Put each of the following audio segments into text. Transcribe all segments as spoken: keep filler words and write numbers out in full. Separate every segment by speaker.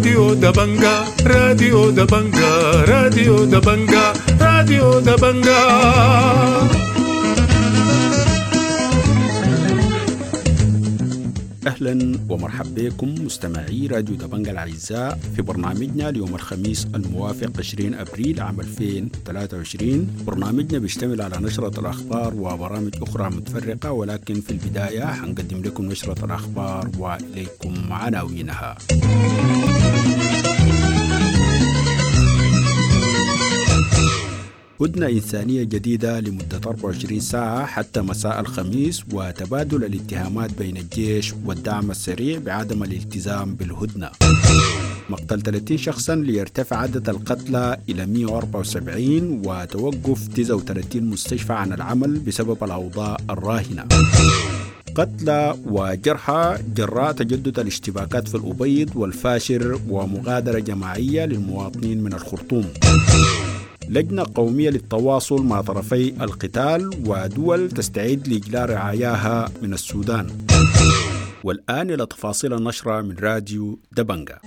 Speaker 1: راديو دبنجا، راديو دبنجا، راديو دبنجا، راديو دبنجا.
Speaker 2: أهلا ومرحبا بكم مستمعي راديو دبنجا الأعزاء في برنامجنا ليوم الخميس الموافق عشرين أبريل عام ألفين وثلاثة وعشرين. برنامجنا بيشتمل على نشرة الأخبار وبرامج أخرى متفرقة، ولكن في البداية حنقدم لكم نشرة الأخبار وإليكم عناوينها. هدنة إنسانية جديدة لمدة أربعة وعشرين ساعة حتى مساء الخميس، وتبادل الاتهامات بين الجيش والدعم السريع بعدم الالتزام بالهدنة. مقتل ثلاثين شخصا ليرتفع عدد القتلى إلى مئة وأربعة وسبعين، وتوقف تسعة وثلاثين مستشفى عن العمل بسبب الأوضاع الراهنة. قتلى وجرحى جراء تجدد الاشتباكات في الأبيض والفاشر، ومغادرة جماعية للمواطنين من الخرطوم. لجنة قومية للتواصل مع طرفي القتال، ودول تستعد لإجلاء رعاياها من السودان. والآن إلى تفاصيل النشرة من راديو دبنجا.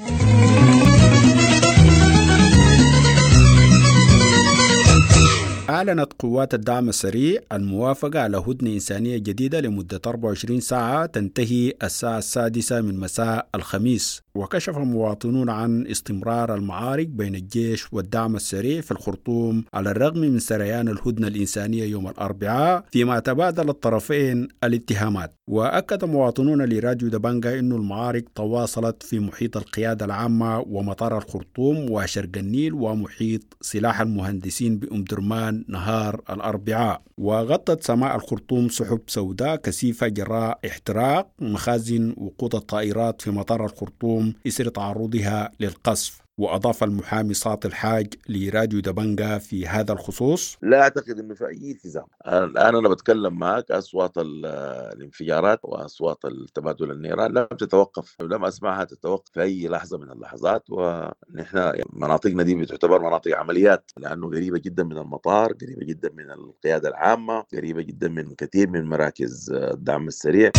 Speaker 2: أعلنت قوات الدعم السريع الموافقة على هدنة إنسانية جديدة لمدة أربعة وعشرين ساعة تنتهي الساعة السادسة من مساء الخميس. وكشف المواطنون عن استمرار المعارك بين الجيش والدعم السريع في الخرطوم على الرغم من سريان الهدنة الإنسانية يوم الأربعاء، فيما تبادل الطرفين الاتهامات. وأكد مواطنون لراديو دبنجا أن المعارك تواصلت في محيط القيادة العامة ومطار الخرطوم وشرق النيل ومحيط سلاح المهندسين بأم درمان نهار الأربعاء. وغطت سماء الخرطوم سحب سوداء كثيفة جراء احتراق مخازن وقود الطائرات في مطار الخرطوم إثر تعرضها للقصف. وأضاف المحامي ساطي الحاج لراديو دبنجا في هذا الخصوص:
Speaker 3: لا أعتقد أنه في أي التزام. الآن أنا بتكلم معك، أصوات الانفجارات وأصوات التبادل النيران لم تتوقف، لم أسمعها تتوقف في أي لحظة من اللحظات. ونحن مناطقنا دي بتعتبر مناطق عمليات، لأنه قريبة جدا من المطار، قريبة جدا من القيادة العامة، قريبة جدا من كثير من مراكز الدعم السريع.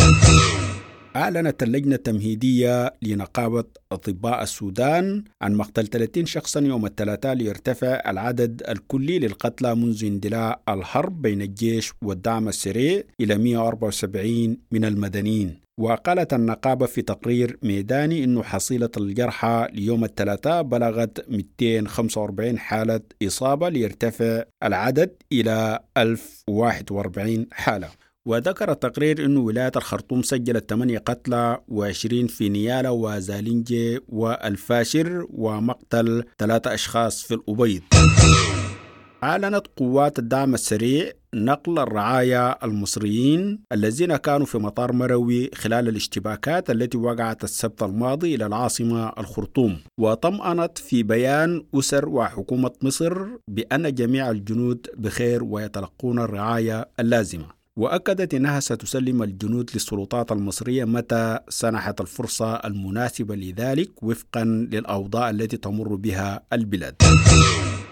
Speaker 2: أعلنت اللجنة التمهيدية لنقابة أطباء السودان عن مقتل ثلاثين شخصا يوم الثلاثاء ليرتفع العدد الكلي للقتلى منذ اندلاع الحرب بين الجيش والدعم السريع إلى مئة وأربعة وسبعين من المدنيين. وقالت النقابة في تقرير ميداني أن حصيلة الجرحى ليوم الثلاثاء بلغت مئتين وخمسة وأربعين حالة إصابة ليرتفع العدد إلى ألف وواحد وأربعين حالة. وذكر التقرير أن ولاية الخرطوم سجلت ثمانية قتلى وعشرين في نيالا وزالينجي والفاشر، ومقتل ثلاثة أشخاص في الأبيض. أعلنت قوات الدعم السريع نقل الرعايا المصريين الذين كانوا في مطار مروي خلال الاشتباكات التي وقعت السبت الماضي إلى العاصمة الخرطوم. وطمأنت في بيان أسر وحكومة مصر بأن جميع الجنود بخير ويتلقون الرعاية اللازمة. وأكدت أنها ستسلم الجنود للسلطات المصرية متى سنحت الفرصة المناسبة لذلك وفقا للأوضاع التي تمر بها البلاد.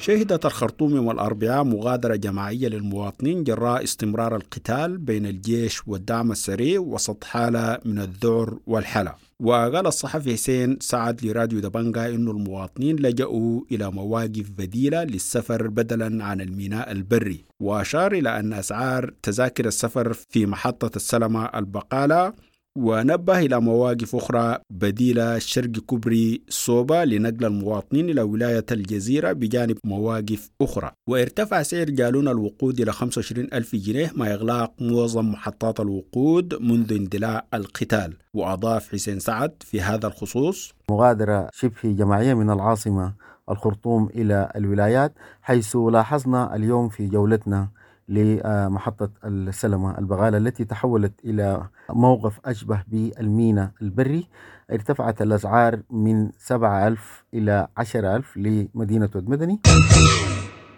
Speaker 2: شهدت الخرطوم يوم الأربعاء مغادرة جماعية للمواطنين جراء استمرار القتال بين الجيش والدعم السريع وسط حالة من الذعر والحالة. وقال الصحفي حسين سعد لراديو دبنجا إنه المواطنين لجأوا إلى مواقف بديلة للسفر بدلا عن الميناء البري، وأشار إلى أن أسعار تذاكر السفر في محطة السلمة البقالة، ونبه إلى مواقف أخرى بديلة شرق كوبري صوبة لنقل المواطنين إلى ولاية الجزيرة بجانب مواقف أخرى. وارتفع سعر جالون الوقود إلى خمسة وعشرين ألف جنيه مع إغلاق معظم محطات الوقود منذ اندلاع القتال. وأضاف حسين سعد في هذا الخصوص:
Speaker 4: مغادرة شبه جماعية من العاصمة الخرطوم إلى الولايات، حيث لاحظنا اليوم في جولتنا لمحطة السلمة البغالة التي تحولت إلى موقف أشبه بالميناء البري، ارتفعت الأسعار من سبعة ألف إلى عشرة ألف لمدينة ود مدني.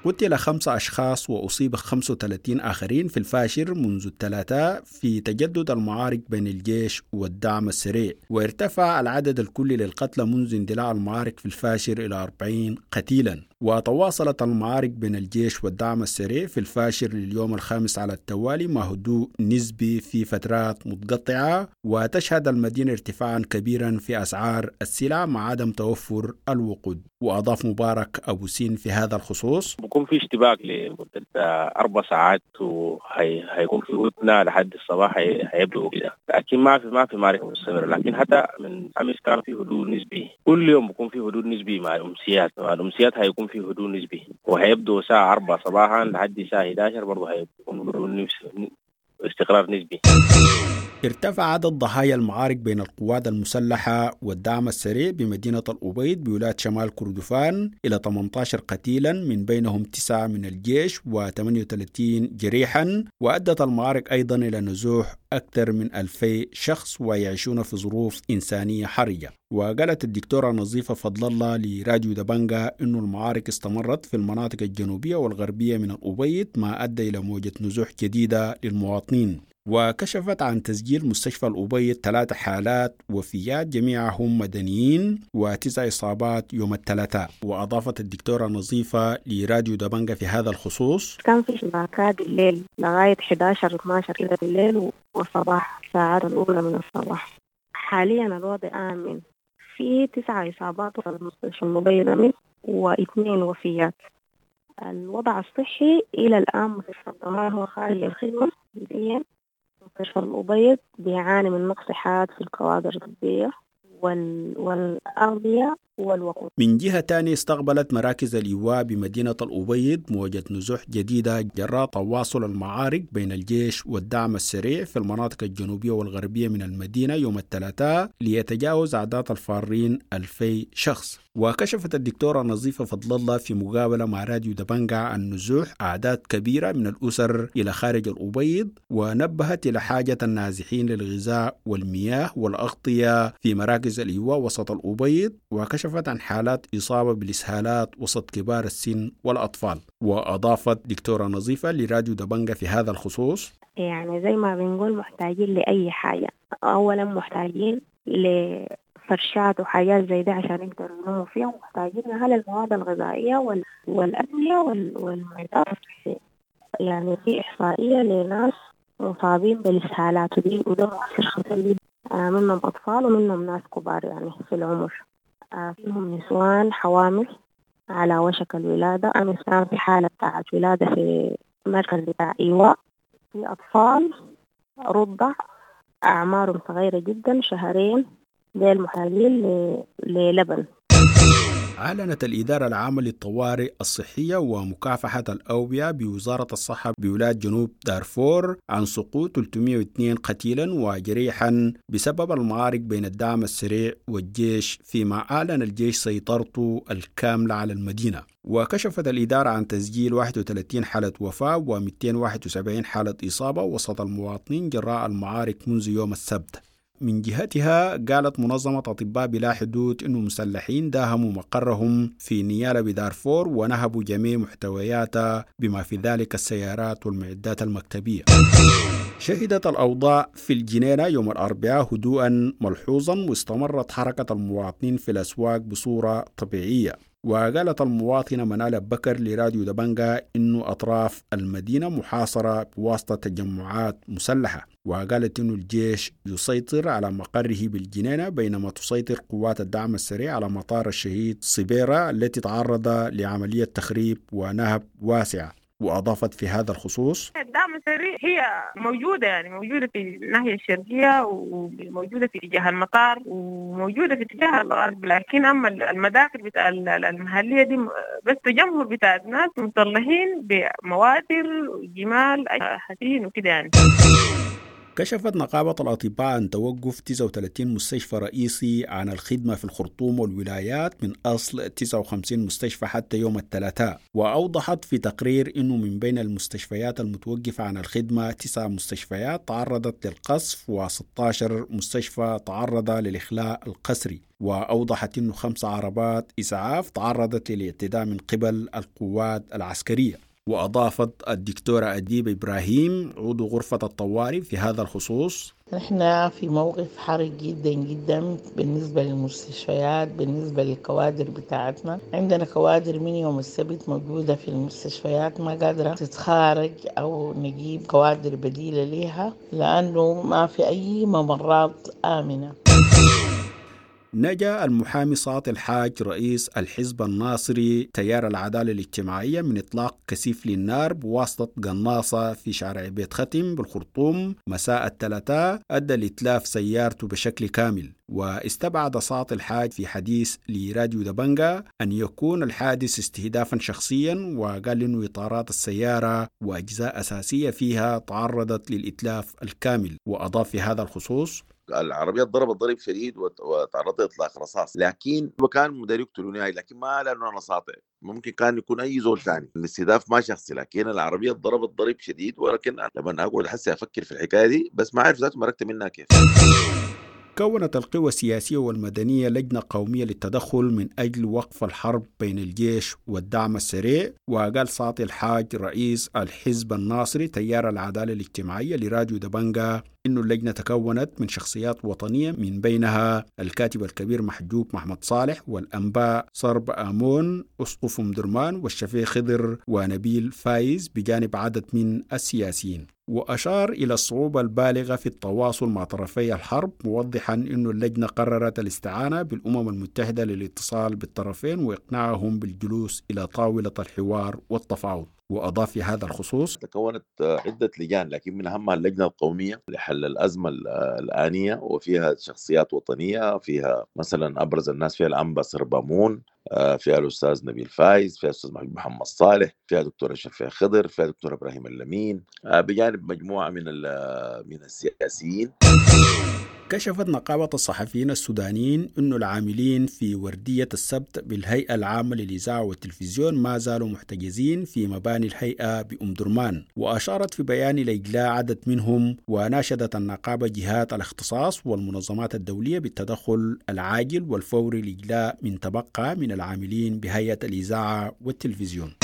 Speaker 2: قتل خمسة أشخاص وأصيب خمسة وثلاثين آخرين في الفاشر منذ الثلاثاء في تجدد المعارك بين الجيش والدعم السريع، وارتفع العدد الكلي للقتلى منذ اندلاع المعارك في الفاشر إلى أربعين قتيلا. وتواصلت المعارك بين الجيش والدعم السريع في الفاشر لليوم الخامس على التوالي مع هدوء نسبي في فترات متقطعة، وتشهد المدينة ارتفاعا كبيرا في أسعار السلع مع عدم توفر الوقود. وأضاف مبارك أبو سين في هذا الخصوص:
Speaker 5: بكون في اشتباك لمدة أربع ساعات وهيكون في هدنة لحد الصباح هيبدأوا كده، لكن ما في ما في معركة مستمرة. لكن حتى من أمس كان في هدوء نسبي، كل يوم بكون في هدوء نسبي مع الأمسيات، مع الأمسيات هيكون في هدوء نسبي، وهيبدو الساعة أربعة صباحا لحد الساعة إحدى عشر برضه هيكون هدوء نسبي، استقرار نسبي.
Speaker 2: ارتفع عدد ضحايا المعارك بين القوات المسلحة والدعم السريع بمدينة الأبيض بولاية شمال كردفان إلى ثمانية عشر قتيلا، من بينهم تسعة من الجيش وثمانية وثلاثين جريحا. وأدت المعارك أيضا إلى نزوح أكثر من ألفي شخص ويعيشون في ظروف إنسانية حرجة. وقالت الدكتورة نظيفة فضل الله لراديو دبنجا إنه المعارك استمرت في المناطق الجنوبية والغربية من الأبيض، ما أدى إلى موجة نزوح جديدة للمواطنين. وكشفت عن تسجيل مستشفى الأبيض ثلاث حالات وفيات جميعهم مدنيين وتسع إصابات يوم الثلاثاء. وأضافت الدكتورة نظيفة لراديو دبنجا في هذا الخصوص:
Speaker 6: كان في اشتباكات بالليل لغاية إحدى عشر اثنا عشر كده بالليل والصباح، الساعات الأولى من الصباح. حاليا الوضع آمن، في تسع إصابات في المستشفى الأبيض واثنين وفيات. الوضع الصحي إلى الآن مستشفى الضمان هو خارج الخدمة جزئيا. مستشفى الأبيض بيعاني من نقص حاد في الكوادر الطبية وال... والأغذية والوقود.
Speaker 2: من جهة تانية استقبلت مراكز الإيواء بمدينة الأبيض موجة نزوح جديدة جراء تواصل المعارك بين الجيش والدعم السريع في المناطق الجنوبية والغربية من المدينة يوم الثلاثاء ليتجاوز أعداد الفارين ألفي شخص. وكشفت الدكتورة نظيفة فضل الله في مقابلة مع راديو دبنجا عن نزوح أعداد كبيرة من الأسر إلى خارج الأبيض، ونبهت إلى حاجة النازحين للغذاء والمياه والأغطية في مراكز الإيواء وسط الأبيض، وكشفت عن حالات إصابة بالإسهالات وسط كبار السن والأطفال. وأضافت دكتورة نظيفة لراديو دبنجا في هذا الخصوص:
Speaker 6: يعني زي ما بنقول محتاجين لأي حاجة. أولا محتاجين ل فرشات وحاجات زي ده عشان يقدروا يناموا فيها، ومحتاجين على المواد الغذائية والأدوية والمعدات الصحية. يعني في إحصائية لناس مصابين بالإسهالات ودي وده مؤثر خطير جدا، منهم أطفال ومنهم ناس كبار يعني في العمر، فيهم نسوان حوامل على وشك الولادة. أمس كان في حالة بتاعت ولادة في مركز بتاع إيواء، في أطفال رضع أعمارهم صغيرة جدا شهرين زي المحاليل للبن.
Speaker 2: أعلنت الإدارة العامة للطوارئ الصحية ومكافحة الأوبئة بوزارة الصحة بولاية جنوب دارفور عن سقوط ثلاثمئة واثنين قتيلا وجريحا بسبب المعارك بين الدعم السريع والجيش، فيما أعلن الجيش سيطرته الكاملة على المدينة. وكشفت الإدارة عن تسجيل واحد وثلاثين حالة وفاة ومئتين وواحد وسبعين حالة إصابة وسط المواطنين جراء المعارك منذ يوم السبت. من جهتها قالت منظمة أطباء بلا حدود إنه مسلحين داهموا مقرهم في نيالا بدارفور ونهبوا جميع محتوياتها بما في ذلك السيارات والمعدات المكتبية. شهدت الأوضاع في الجنينة يوم الأربعاء هدوءا ملحوظا، واستمرت حركة المواطنين في الأسواق بصورة طبيعية. وقالت المواطنة منال بكر لراديو دبنجا إنه أطراف المدينة محاصرة بواسطة تجمعات مسلحة، وقالت إنه الجيش يسيطر على مقره بالجنينة بينما تسيطر قوات الدعم السريع على مطار الشهيد صبيرة التي تعرض لعملية تخريب ونهب واسعة. وأضافت في هذا الخصوص:
Speaker 7: الدعم السريع هي موجودة، يعني موجودة في الناحية الشرقية وموجودة في اتجاه المطار وموجودة في اتجاه الغرب، لكن أما المداخل بتاع المحلية دي بس تجمهر بتاع ناس مطلعين بمواتر وجمال حسين وكده يعني.
Speaker 2: كشفت نقابة الأطباء عن توقف تسعة وثلاثين مستشفى رئيسي عن الخدمة في الخرطوم والولايات من أصل تسعة وخمسين مستشفى حتى يوم الثلاثاء. وأوضحت في تقرير أنه من بين المستشفيات المتوقفة عن الخدمة تسع مستشفيات تعرضت للقصف وستة عشر مستشفى تعرض للإخلاء القسري. وأوضحت أنه خمس عربات إسعاف تعرضت للاعتداء من قبل القوات العسكرية. وأضافت الدكتورة أديب إبراهيم عضو غرفة الطوارئ في هذا الخصوص:
Speaker 8: نحن في موقف حرج جدا جدا بالنسبة للمستشفيات، بالنسبة للكوادر بتاعتنا. عندنا كوادر من يوم السبت موجودة في المستشفيات ما قادرة تتخارج أو نجيب كوادر بديلة لها لأنه ما في أي ممرات آمنة.
Speaker 2: نجا المحامي ساطي الحاج رئيس الحزب الناصري تيار العدالة الاجتماعية من إطلاق كثيف للنار بواسطة قناصة في شارع بيت ختم بالخرطوم مساء الثلاثاء أدى لإتلاف سيارته بشكل كامل. واستبعد ساطي الحاج في حديث لراديو دبنجا أن يكون الحادث استهدافا شخصيا، وقال إنه إطارات السيارة وأجزاء أساسية فيها تعرضت للإتلاف الكامل. وأضاف في هذا الخصوص:
Speaker 3: العربية ضربت ضرب شديد وتعرضت لاطلاق رصاص، لكن كان مدير يقتلوني، لكن ما لانه انا ساطع، ممكن كان يكون اي زول ثاني، الاستهداف ما شخصي، لكن العربية ضربت ضرب شديد. ولكن لما اقعد احس افكر في الحكاية دي بس ما اعرف ذاته مرقت منها كيف.
Speaker 2: كونت القوى السياسية والمدنية لجنة قومية للتدخل من أجل وقف الحرب بين الجيش والدعم السريع. وقال ساطي الحاج رئيس الحزب الناصري تيار العدالة الاجتماعية لراديو دبنجا إنه اللجنة تكونت من شخصيات وطنية من بينها الكاتب الكبير محجوب محمد صالح والأنباء صرب آمون أسقف أم درمان والشفيع خضر ونبيل فايز بجانب عدد من السياسيين. وأشار إلى الصعوبة البالغة في التواصل مع طرفي الحرب، موضحا أن اللجنة قررت الاستعانة بالأمم المتحدة للاتصال بالطرفين وإقناعهم بالجلوس إلى طاولة الحوار والتفاوض. وأضاف في هذا الخصوص:
Speaker 3: تكونت عدة لجان، لكن من أهمها اللجنة القومية لحل الأزمة الآنية، وفيها شخصيات وطنية، فيها مثلا أبرز الناس فيها الأنبا صربامون، فيها الأستاذ نبيل فايز، فيها الأستاذ محمد صالح، فيها دكتور الشفيع خضر، فيها دكتور إبراهيم اللمين، بجانب مجموعة من من السياسيين.
Speaker 2: كشفت نقابة الصحفيين السودانيين أن العاملين في وردية السبت بالهيئة العامة للإذاعة والتلفزيون ما زالوا محتجزين في مباني الهيئة بأم درمان. وأشارت في بيان إلى إجلاء عدد منهم، وناشدت النقابة جهات الاختصاص والمنظمات الدولية بالتدخل العاجل والفوري لإجلاء من تبقى من العاملين بهيئة الإذاعة والتلفزيون.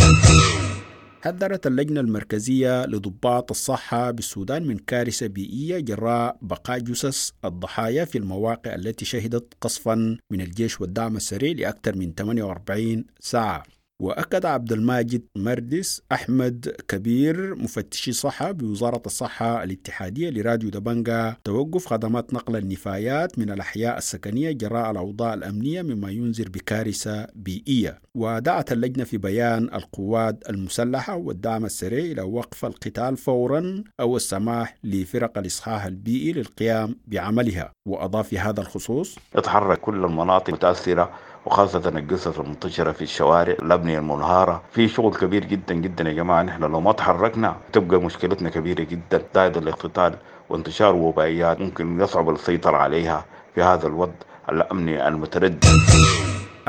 Speaker 2: حذرت اللجنة المركزية لضباط الصحة بالسودان من كارثة بيئية جراء بقاء جثث الضحايا في المواقع التي شهدت قصفا من الجيش والدعم السريع لأكثر من ثمانية وأربعين ساعة. وأكد عبد الماجد مردس أحمد كبير مفتشي صحة بوزارة الصحة الاتحادية لراديو دبنجا توقف خدمات نقل النفايات من الأحياء السكنية جراء الأوضاع الأمنية مما ينذر بكارثة بيئية. ودعت اللجنة في بيان القوات المسلحة والدعم السريع إلى وقف القتال فورا أو السماح لفرق الإصحاح البيئي للقيام بعملها. وأضاف في هذا الخصوص:
Speaker 9: اتحرك كل المناطق المتأثرة وخاصة الجثث المنتشرة في الشوارع، الأبنية المنهارة، في شغل كبير جدا جدا يا جماعة. نحن لو ما تحركنا تبقى مشكلتنا كبيرة جدا. زائد الاقتتال وانتشار وبائيات ممكن يصعب السيطرة عليها في هذا الوضع الأمني المتردد.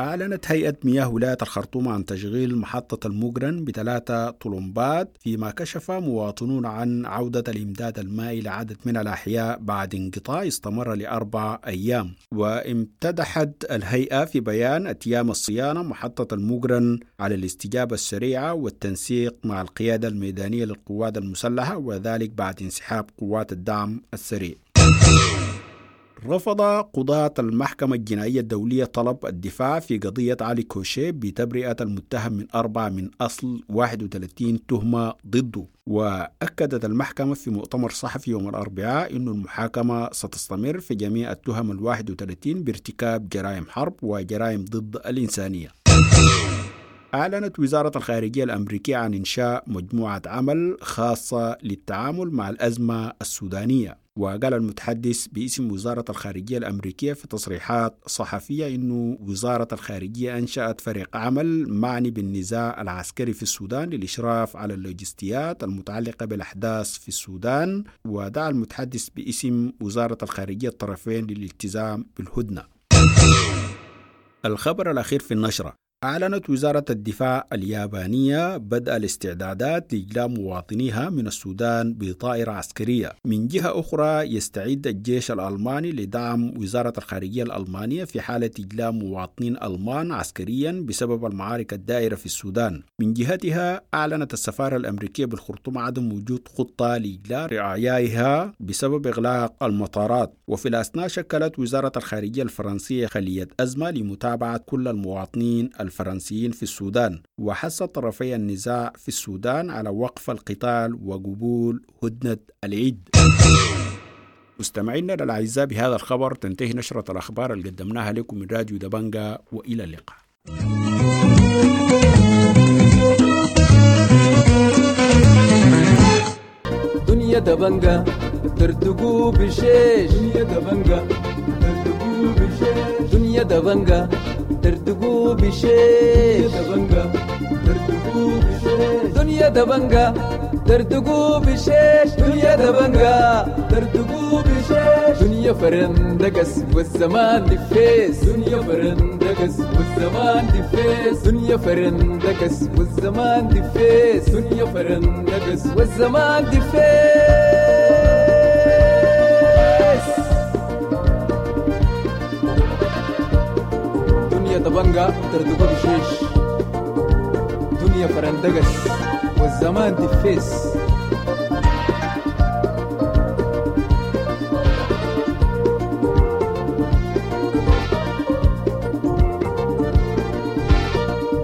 Speaker 2: أعلنت هيئة مياه ولاية الخرطوم عن تشغيل محطة المقرن بثلاثة طلمبات، فيما كشف مواطنون عن عودة الإمداد المائي لعدد من الأحياء بعد انقطاع استمر لأربع أيام. وامتدحت الهيئة في بيان أتيام الصيانة محطة المقرن على الاستجابة السريعة والتنسيق مع القيادة الميدانية للقوات المسلحة، وذلك بعد انسحاب قوات الدعم السريع. رفض قضاة المحكمة الجنائية الدولية طلب الدفاع في قضية علي كوشي بتبرئة المتهم من أربعة من أصل واحد وثلاثين تهمة ضده. وأكدت المحكمة في مؤتمر صحفي يوم الأربعاء أن المحاكمة ستستمر في جميع التهم الواحد وثلاثين بارتكاب جرائم حرب وجرائم ضد الإنسانية. أعلنت وزارة الخارجية الأمريكية عن إنشاء مجموعة عمل خاصة للتعامل مع الأزمة السودانية. وقال المتحدث باسم وزارة الخارجية الأمريكية في تصريحات صحفية إنه وزارة الخارجية أنشأت فريق عمل معني بالنزاع العسكري في السودان للإشراف على اللوجستيات المتعلقة بالأحداث في السودان. ودعا المتحدث باسم وزارة الخارجية الطرفين للالتزام بالهدنة. الخبر الأخير في النشرة: أعلنت وزارة الدفاع اليابانية بدء الاستعدادات لإجلاء مواطنيها من السودان بطائرة عسكرية. من جهة أخرى، يستعد الجيش الألماني لدعم وزارة الخارجية الألمانية في حالة إجلاء مواطنين ألمان عسكريا بسبب المعارك الدائرة في السودان. من جهتها، أعلنت السفارة الأمريكية بالخرطوم عدم وجود خطة لإجلاء رعاياها بسبب إغلاق المطارات. وفي الأثناء، شكلت وزارة الخارجية الفرنسية خلية أزمة لمتابعة كل المواطنين الفرنسيين في السودان. وحث طرفي النزاع في السودان على وقف القتال وقبول هدنة العيد. مستمعينا الأعزاء، بهذا الخبر تنتهي نشرة الأخبار اللي قدمناها لكم من راديو دبنجا، وإلى اللقاء.
Speaker 10: دنيا دبنجا ترتقو بشيش، دنيا دبنجا ترتقو بشيش، دنيا دبنجا ترتقو بشيش، دبنجا ترتقو بشيش، دنيا دبنجا ترتقو بشيش، دنيا دبنجا ترتقو بشيش، دنيا فرندقس والزمان دفيس، دنيا فرندقس والزمان دفيس، دنيا فرندقس والزمان دفيس، دنيا فرندقس والزمان دفيس. دنيا دبنجا ترتقو بشيش، دنيا فرندقس والزمان دفيس.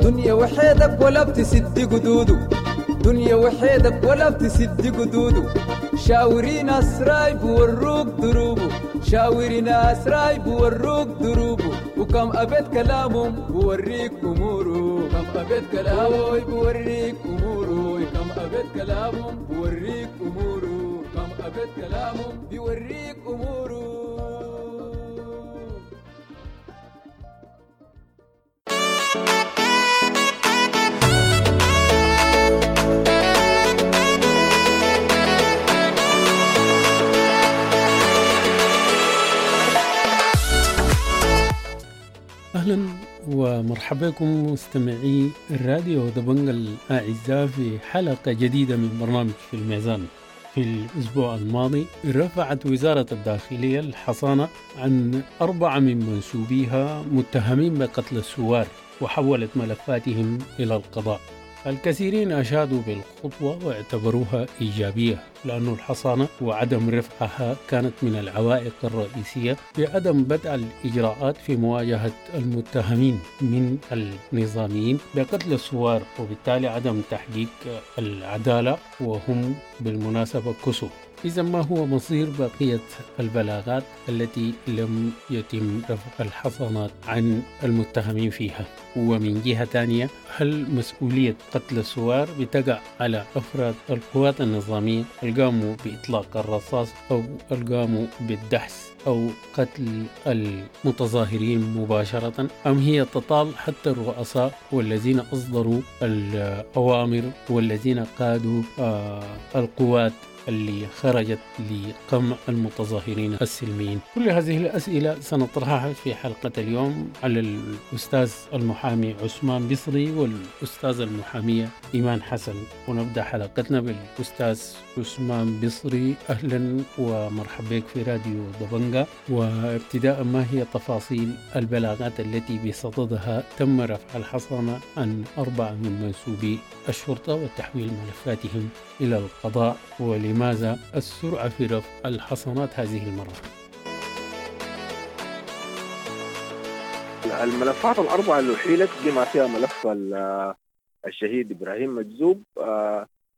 Speaker 10: دنيا وحيدك ولا بتسد قدوده، دنيا وحيدك ولا بتسد قدوده، شاوري ناس رايب وروك دروبه، شاوري ناس رايب وروك دروبه، وكم أبيت كلامهم بوريك أموره، كم أبيت كلامه بوريك أموره، كم أبيت كلامهم بوريك أموره، كم أبيت كلامهم بوريك أموره.
Speaker 11: أهلا ومرحبا بكم مستمعي الراديو دبنجا الأعزاء في حلقة جديدة من برنامج في الميزان. في الأسبوع الماضي رفعت وزارة الداخلية الحصانة عن أربعة من منسوبيها متهمين بقتل الثوار وحولت ملفاتهم إلى القضاء. الكثيرين أشادوا بالخطوة واعتبروها إيجابية، لأن الحصانة وعدم رفعها كانت من العوائق الرئيسية بعدم بدء الإجراءات في مواجهة المتهمين من النظاميين بقتل الثوار، وبالتالي عدم تحقيق العدالة، وهم بالمناسبة كسر. إذا ما هو مصير بقية البلاغات التي لم يتم رفع الحصانات عن المتهمين فيها؟ ومن جهة ثانية، هل مسؤولية قتل الثوار بتقع على أفراد القوات النظامية اللي قاموا بإطلاق الرصاص أو اللي قاموا بالدحس أو قتل المتظاهرين مباشرة، أم هي تطال حتى الرؤساء والذين أصدروا الأوامر والذين قادوا آه القوات اللي خرجت لقمع المتظاهرين السلميين؟ كل هذه الأسئلة سنطرحها في حلقة اليوم على الأستاذ المحامي عثمان بصري والأستاذ المحامية إيمان حسن. ونبدأ حلقتنا بالأستاذ عثمان بصري. أهلا ومرحبا بك في راديو دبنجا. وابتداء، ما هي تفاصيل البلاغات التي بصددها تم رفع الحصانة عن أربعة من منسوبي الشرطة وتحويل ملفاتهم إلى القضاء، ولماذا السرعة في رفع الحصانات هذه المرة؟
Speaker 5: الملفات الأربعة اللي أحيلت بما فيها ملف الشهيد إبراهيم مجذوب،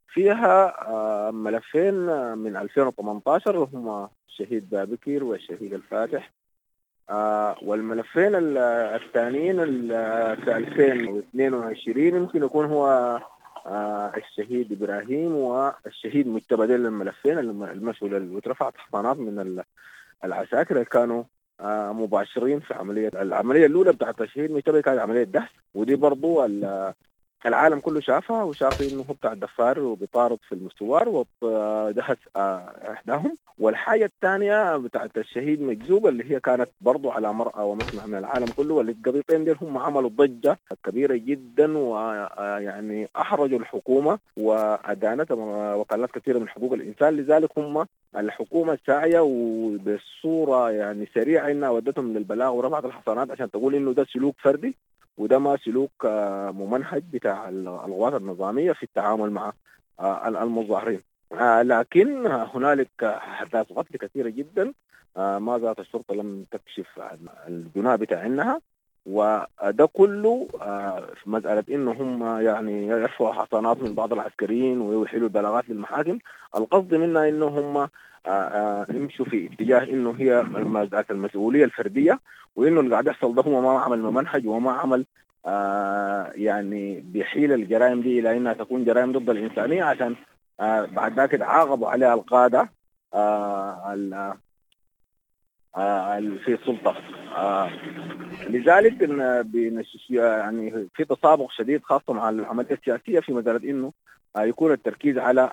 Speaker 5: فيها ملفين من ألفين وثمانية عشر وهما الشهيد بابكر والشهيد الفاتح، والملفين الثانيين في ألفين واثنين وعشرين يمكن يكون هو الشهيد إبراهيم والشهيد مجتبى. ديل الملفين المسؤول اللي اترفعت حصانات من العساكر اللي كانوا مباشرين في عملية العملية الأولى بتاعت الشهيد مجتبى، كانت عملية دهس، ودي برضو العالم كله شافها وشاف إنه هو بتاع الدفار وبيطارد في المستوار ودهس إحداهم.
Speaker 12: والحاجة الثانية بتاعت الشهيد مجذوب اللي هي كانت برضو على مرأى ومسمع من العالم كله، والقضيتين دي هم عملوا ضجة كبيرة جدا ويعني أحرجوا الحكومة وأدانتها وكالات كثيرة من حقوق الإنسان. لذلك هم الحكومة ساعية وبصورة يعني سريعة إنها ودتهم للبلاغ ورفعت الحصانات عشان تقول إنه ده سلوك فردي وده ما سلوك ممنهج بتاع القوات النظامية في التعامل مع المظاهرين. لكن هنالك أحداث قتل كثيرة جدا ما زالت الشرطة لم تكشف عن الجناة بتاعها، وده كله في مسألة إنه هم يعني يرفعوا حصانات من بعض العسكريين ويحيلوا البلاغات للمحاكم. القصد منها إنه هم يمشوا في اتجاه إنه هي مسألة المسؤولية الفردية، وإنه اللي قاعد يحصل ده هو ما عمل منهج وما عمل يعني بيحيل الجرائم دي إلى إنها تكون جرائم ضد الإنسانية، عشان آه بعد ذاك تعاقبوا عليها القادة آه آه في السلطة. آه لذلك إن يعني في تسابق شديد خاصة مع العملية السياسية في مسألة إنه آه يكون التركيز على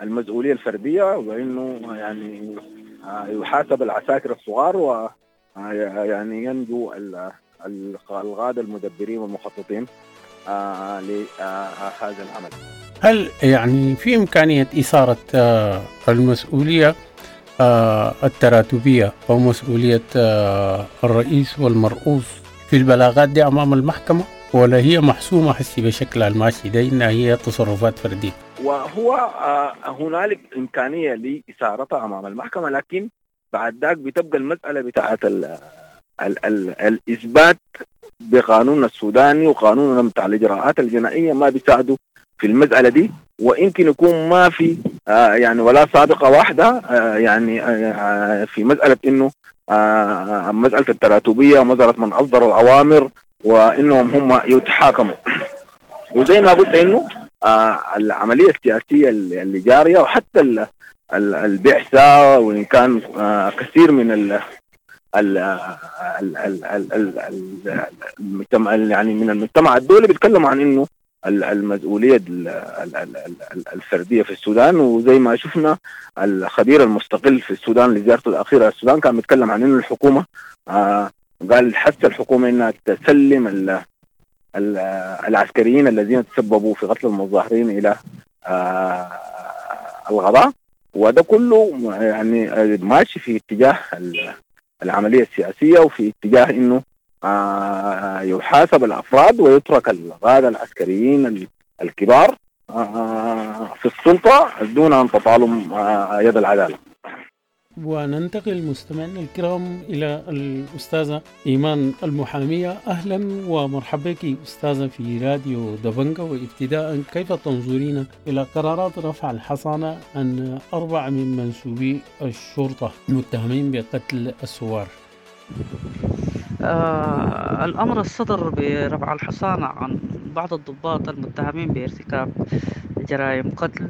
Speaker 12: المسؤولية الفردية، وإنه يعني آه يحاسب العساكر الصغار ويعني ينجو القادة المدبرين والمخططين آه لهذا العمل.
Speaker 11: هل يعني في إمكانية إثارة المسؤولية التراتبية أو مسؤولية الرئيس والمرؤوس في البلاغات دي أمام المحكمة، ولا هي محسومة حسي بشكل الماشي ده إنها هي تصرفات فردية؟
Speaker 12: وهو هنالك إمكانية لإثارتها أمام المحكمة، لكن بعد ذاك بتبقى المسألة بتاعت ال ال ال الإثبات بقانون السوداني وقانون بتاع الإجراءات الجنائية ما بيساعدوا في المسألة دي، ويمكن يكون ما في آه يعني ولا سابقة واحدة آه يعني آه في مسألة إنه آه مسألة التراتبية ومسألة من أصدر الأوامر وإنهم هم يتحاكموا. وزي ما قلت إنه آه العملية السياسية اللي جارية وحتى البعثة، وإن كان آه كثير من ال ال ال ال ال المجتمع يعني من المجتمع الدولي بيتكلموا عن إنه المسؤولية الفردية في السودان. وزي ما شفنا الخبير المستقل في السودان لزيارته الأخيرة السودان كان بيتكلم عن إنه الحكومة آه قال حتى الحكومة إنها تسلم ال ال العسكريين الذين تسببوا في قتل المظاهرين إلى آه الغضاء، وده كله يعني ماشي في اتجاه العملية السياسية وفي اتجاه إنه آه يحاسب الأفراد ويترك القادة العسكريين الكبار آه في السلطة دون أن تطالهم آه يد العدالة.
Speaker 11: وننتقل مستمعينا الكرام إلى الأستاذة إيمان المحامية. أهلا ومرحبا بك أستاذة في راديو دبنجة. وابتداء كيف تنظرين إلى قرارات رفع الحصانة عن أربعة من منسوبي الشرطة المتهمين بقتل الثوار؟
Speaker 13: آه الأمر الصدر برفع الحصانة عن بعض الضباط المتهمين بارتكاب جرائم قتل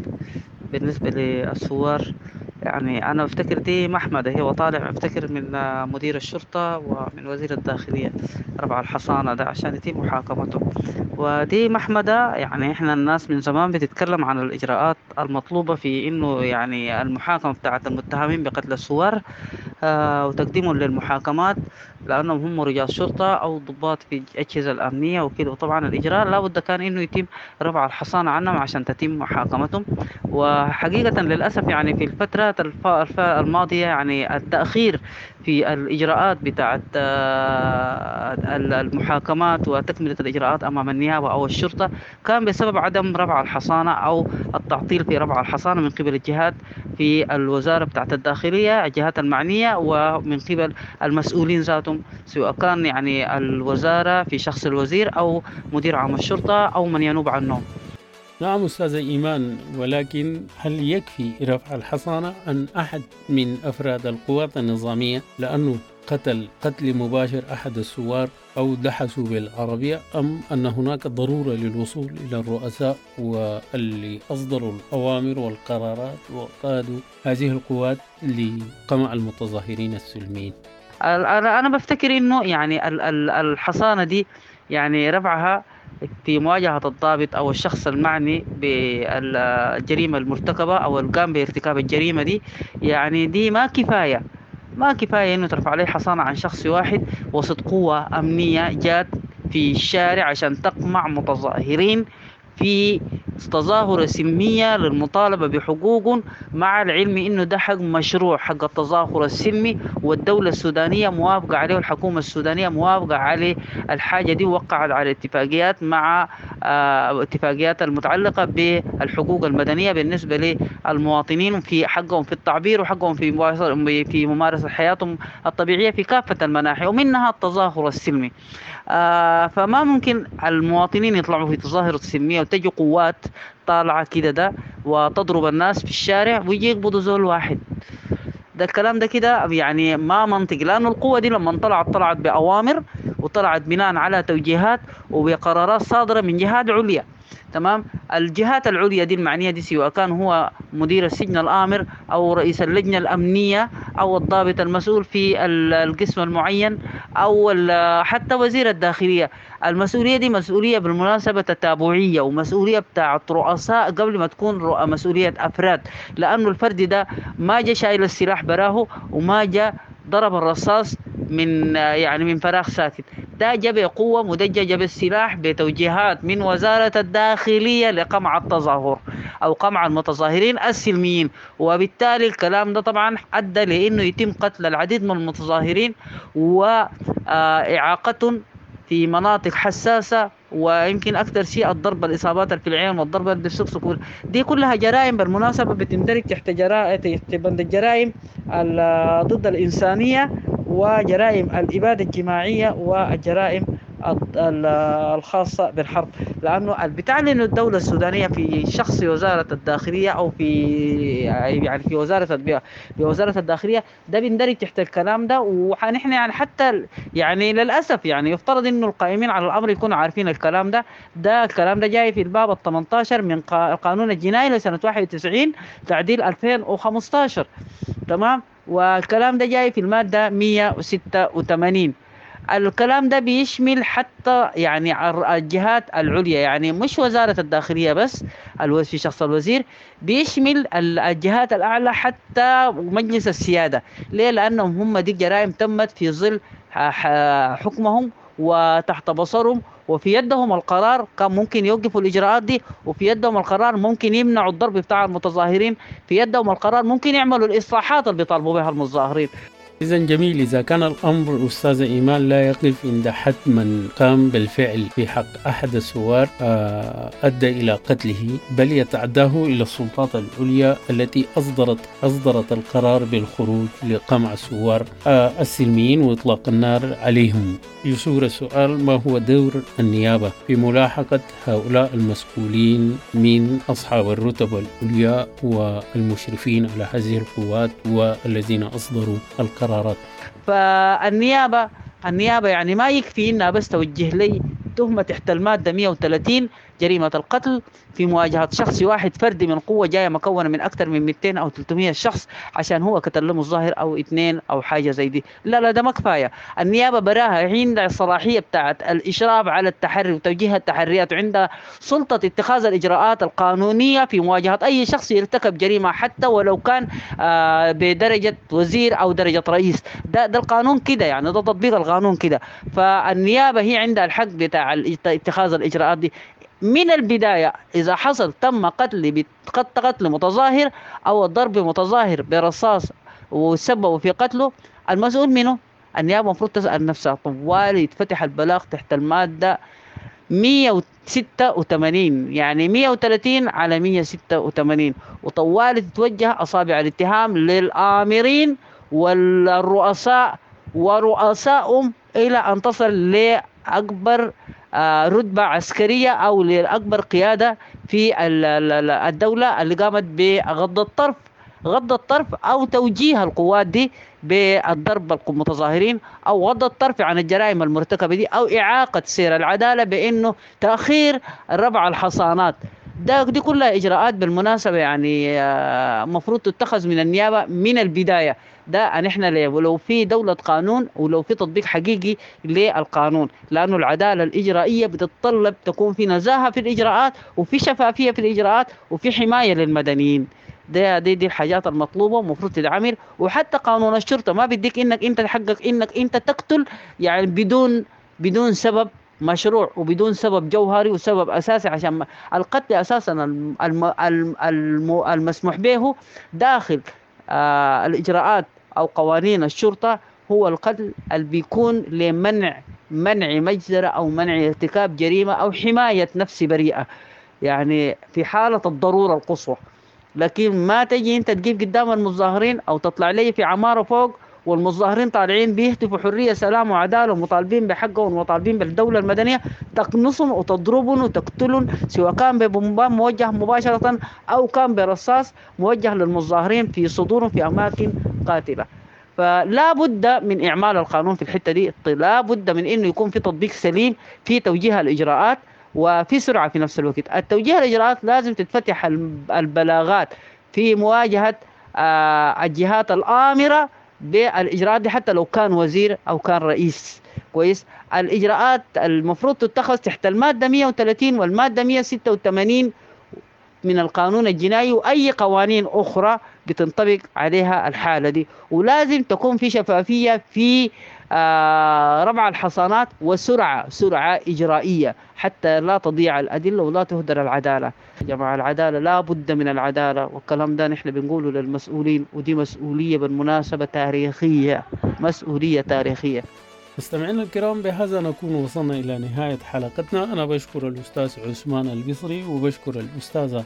Speaker 13: بالنسبة للثوار، يعني أنا أفتكر دي محمدة، هي وطالع أفتكر من مدير الشرطة ومن وزير الداخلية رفع الحصانة ده عشان يتم محاكمته. ودي محمدة، يعني إحنا الناس من زمان بتتكلم عن الإجراءات المطلوبة في إنه يعني المحاكمة بتاعت المتهمين بقتل الثوار آه وتقديمهم للمحاكمات لأنهم هم رجال شرطة أو ضباط في الأجهزة الأمنية وكده. وطبعا الإجراء لابد كان إنه يتم رفع الحصانة عنهم عشان تتم محاكمتهم. وحقيقة للأسف يعني في الفترة الماضية يعني التأخير في الإجراءات بتاعت المحاكمات وتكملة الإجراءات أمام النيابة أو الشرطة كان بسبب عدم رفع الحصانة أو التعطيل في رفع الحصانة من قبل الجهات في الوزارة بتاعت الداخلية، الجهات المعنية، ومن قبل المسؤولين ذاتهم سواء كان يعني الوزارة في شخص الوزير أو مدير عام الشرطة أو من ينوب عنه.
Speaker 11: نعم أستاذة إيمان، ولكن هل يكفي رفع الحصانة عن أحد من أفراد القوات النظامية لأنه قتل قتل مباشر أحد الثوار أو دحسوا بالعربية، أم أن هناك ضرورة للوصول إلى الرؤساء واللي أصدروا الأوامر والقرارات وقادوا هذه القوات لقمع المتظاهرين السلميين؟
Speaker 13: أنا بفتكر إنه يعني الحصانة دي يعني رفعها في مواجهة الضابط أو الشخص المعني بالجريمة المرتكبة أو القام بارتكاب الجريمة دي، يعني دي ما كفاية. ما كفاية إنه ترفع عليه حصانة عن شخص واحد وسط قوة أمنية جات في الشارع عشان تقمع متظاهرين في تظاهرة سلمية للمطالبة بحقوقهم، مع العلم إنه ده حق مشروع، حق التظاهر السلمي، والدولة السودانية موافقة عليه والحكومة السودانية موافقة عليه الحاجة دي، ووقعت على اتفاقيات مع، آه، اتفاقيات المتعلقة بالحقوق المدنية بالنسبة للمواطنين في حقهم في التعبير وحقهم في مواصل-، في ممارسة حياتهم الطبيعية في كافة المناحي، ومنها التظاهر السلمي. آه، فما ممكن المواطنين يطلعوا في تظاهرة سلمية وتجي قوات طالعة كده ده وتضرب الناس في الشارع ويجي يقبضوا زول واحد. ده الكلام ده كده يعني ما منطق، لأنه القوة دي لما طلعت طلعت بأوامر وطلعت بناء على توجيهات وبقرارات صادرة من جهات عليا. تمام، الجهات العليا دي المعنية دي سواء كان هو مدير السجن الآمر أو رئيس اللجنة الأمنية أو الضابط المسؤول في ال-، القسم المعين أو ال-، حتى وزير الداخلية. المسؤولية دي مسؤولية بالمناسبة تتابعية ومسؤولية بتاعت رؤساء قبل ما تكون رؤ-، مسؤولية أفراد، لأنه الفرد ده ما جا شايل السلاح براه وما جا ضرب الرصاص من، يعني من فراغ ساكت، ده جا بقوة مدججة بالسلاح بتوجيهات من وزارة الداخلية لقمع التظاهر أو قمع المتظاهرين السلميين. وبالتالي الكلام ده طبعا أدى لأنه يتم قتل العديد من المتظاهرين وإعاقتهم في مناطق حساسة، ويمكن أكثر شيء الضرب الإصابات في العين والضرب بالسكسك، دي كلها جرائم بالمناسبة بتندرج تحت جرائم، تحت بند الجرائم ال-، ضد الإنسانية وجرائم الإبادة الجماعية والجرائم ال-، ال-، الخاصة بالحرب. لأنه بتعلن الدولة السودانية في شخص وزارة الداخلية أو في يعني في وزارة البيئة، في وزارة الداخلية ده بيندرج تحت الكلام ده. ونحن يعني حتى ال-، يعني للأسف يعني يفترض إنه القائمين على الأمر يكونوا عارفين الكلام ده. ده الكلام ده جاي في الباب الثمانتاشر من قا-، القانون الجنائي لسنة واحد وتسعين تعديل ألفين وخمستاشر. تمام، والكلام ده جاي في المادة مية وستة وثمانين. الكلام ده بيشمل حتى يعني الر-، الجهات العليا، يعني مش وزارة الداخلية بس، الو-، في شخص الوزير، بيشمل ال-، الجهات الأعلى حتى مجلس السيادة. ليه؟ لأنهم هم دي جرائم تمت في ظل ح-، ح-، حكمهم وتحت بصرهم وفي يدهم القرار، كان ممكن يوقفوا الإجراءات دي، وفي يدهم القرار ممكن يمنعوا الضرب بتاع المتظاهرين، في يدهم القرار ممكن يعملوا الإصلاحات اللي بيطالبوا بها المتظاهرين.
Speaker 11: إذن جميل، إذا كان الأمر أستاذة إيمان لا يقف عند حد من قام بالفعل في حق أحد الثوار، آه، أدى إلى قتله، بل يتعداه إلى السلطات العليا التي أصدرت، أصدرت القرار بالخروج لقمع الثوار، آه، السلميين وإطلاق النار عليهم. يثور السؤال، ما هو دور النيابة في ملاحقة هؤلاء المسؤولين من أصحاب الرتب العليا والمشرفين على هذه القوات والذين أصدروا القرار؟
Speaker 13: قرارات؟ فالنيابة، النيابة يعني ما يكفي إنها بس توجه لي تهمة تحت المادة مية وثلاثين جريمة القتل في مواجهة شخص واحد فردي من قوة جاية مكونة من أكثر من مئتين أو ثلاثمية شخص عشان هو قتل له مظاهر أو اثنين أو حاجة زي دي. لا لا، ده ما كفاية. النيابة براها عندها الصلاحية بتاعت الإشراف على التحري وتوجيه التحريات، وعندها سلطة اتخاذ الإجراءات القانونية في مواجهة أي شخص يرتكب جريمة حتى ولو كان، آه، بدرجة وزير أو درجة رئيس. ده، ده القانون كده، يعني ده تطبيق القانون كده. فالنيابة هي عندها الحق بتاع ال-، اتخاذ الإجراءات دي من البداية. إذا حصل تم قتل بت-، قتل متظاهر أو الضرب متظاهر برصاص وسببوا في قتله، المسؤول منه النيابة المفروض تسأل نفسها طوال. يتفتح البلاغ تحت المادة مية وستة وثمانين، يعني مية وثلاثين على مية وستة وثمانين، وطوال تتوجه أصابع الاتهام للآمرين والرؤساء ورؤسائهم إلى أن تصل لأكبر، آه، رتبة عسكرية أو لأكبر قيادة في ال-، ال-، ال-، الدولة اللي قامت بغض الطرف، غض الطرف أو توجيه القوات دي بالضرب المتظاهرين، أو غض الطرف عن الجرائم المرتكبة دي، أو إعاقة سير العدالة بأنه تأخير رفع الحصانات. ده دي كلها إجراءات بالمناسبة يعني، آه، مفروض تتخذ من النيابة من البداية. ده نحن لو في دولة قانون ولو في تطبيق حقيقي للقانون، لأنه العدالة الإجرائية بتتطلب تكون في نزاهة في الإجراءات وفي شفافية في الإجراءات وفي حماية للمدنيين. دي دي دي الحاجات المطلوبة ومفروض تتعمل. وحتى قانون الشرطة ما بيديك انك انت تحقق انك انت تقتل يعني بدون بدون سبب مشروع وبدون سبب جوهري وسبب اساسي، عشان القتل اساسا الم الم الم المسموح به داخل آه الاجراءات او قوانين الشرطة هو القتل اللي بيكون لمنع منع مجزرة او منع ارتكاب جريمة او حماية نفس بريئة، يعني في حاله الضرورة القصوى. لكن ما تجي انت تجيب قدام المتظاهرين او تطلع لي في عمارة فوق والمتظاهرين طالعين بيهتفوا حرية سلام وعداله ومطالبين بحقهم ومطالبين بالدولة المدنية، تقنصهم وتضربهم وتقتلهم، سواء كان ببومبان موجه مباشرة او كان برصاص موجه للمتظاهرين في صدورهم في اماكن قاتله. فلا بد من اعمال القانون في الحتة دي، لا بد من انه يكون في تطبيق سليم في توجيه الاجراءات وفي سرعة في نفس الوقت. التوجيه الاجراءات لازم تتفتح البلاغات في مواجهة الجهات الامره بالاجراءات دي، حتى لو كان وزير او كان رئيس. كويس، الاجراءات المفروض تتخذ تحت المادة مئة وثلاثين والمادة مئة وستة وثمانين من القانون الجنائي واي قوانين اخرى بتنطبق عليها الحالة دي، ولازم تكون في شفافية في آه رفع الحصانات وسرعة سرعة اجرائيه حتى لا تضيع الادلة ولا تهدر العدالة. يا جماعة العدالة لا بد من العدالة، والكلام ده نحن بنقوله للمسؤولين، ودي مسؤولية بالمناسبة تاريخية، مسؤولية تاريخية.
Speaker 11: مستمعينا الكرام، بهذا نكون وصلنا إلى نهاية حلقتنا. أنا بشكر الأستاذ عثمان البصري وبشكر الأستاذة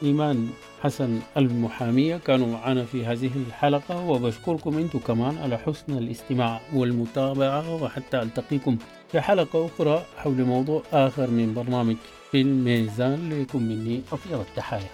Speaker 11: إيمان حسن المحامية، كانوا معنا في هذه الحلقة، وبشكركم أنتم كمان على حسن الاستماع والمتابعة، وحتى ألتقيكم في حلقة أخرى حول موضوع آخر من برنامج في الميزان. لكم مني أطيب التحايا.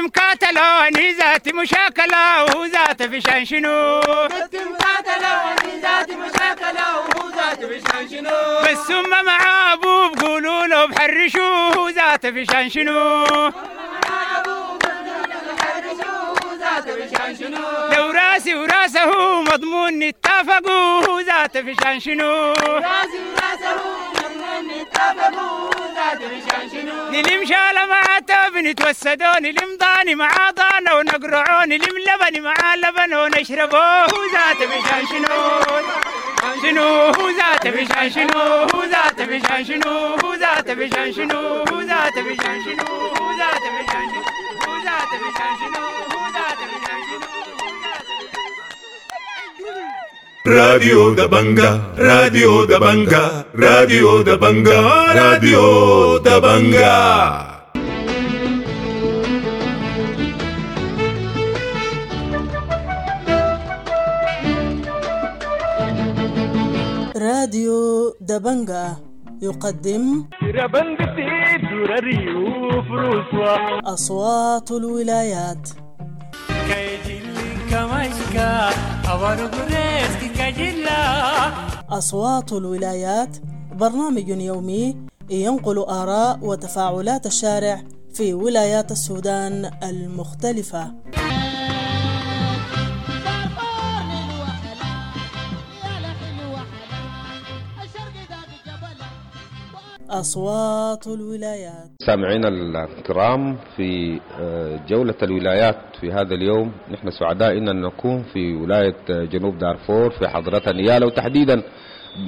Speaker 14: مكاتلة ذات مشاكلة وذات فشان شنو
Speaker 15: مكاتلة ذات مشاكلة وذات فشان شنو
Speaker 14: بس ثم مع ابوه بقولوا له بحرشوه ذات فشان شنو لو راسي وراسه مضمون اتفقوا ذات فشان شنو
Speaker 15: راسي وراسه مضمون اتفقوا ذات فشان شنو
Speaker 14: نلم شالة مع تاب نتوسدون نلم ضاني مع ضانا ونقرعون نلم لبن مع لبن ونشربوه ذات فشان شنو شنو ذات فشان شنو ذات فشان شنو ذات فشان شنو ذات فشان شنو ذات فشان شنو ذات فشان شنو ذات فشان شنو.
Speaker 1: راديو دبنجا، راديو دبنجا، راديو دبنجا، راديو دبنجا.
Speaker 16: راديو دبنجا يقدم أصوات الولايات. أصوات الولايات برنامج يومي ينقل آراء وتفاعلات الشارع في ولايات السودان المختلفة. أصوات الولايات.
Speaker 17: سامعينا الكرام في جولة الولايات في هذا اليوم، نحن سعداء أن نكون في ولاية جنوب دارفور في حضرة نيالا، وتحديدا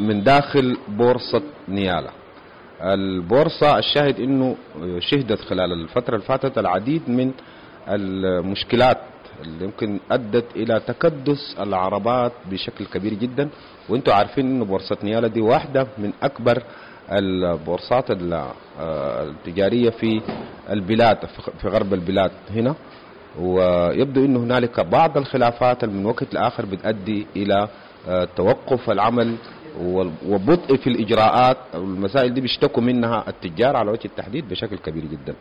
Speaker 17: من داخل بورصة نيالا. البورصة الشاهد أنه شهدت خلال الفترة الفاتت العديد من المشكلات اللي يمكن أدت إلى تكدس العربات بشكل كبير جدا، وانتم عارفين أنه بورصة نيالا دي واحدة من أكبر البورصات التجارية في البلاد، في غرب البلاد هنا. ويبدو أنه هنالك بعض الخلافات من وقت لآخر بتؤدي إلى توقف العمل وبطء في الإجراءات. المسائل دي بيشتكوا منها التجار على وجه التحديد بشكل كبير جدا.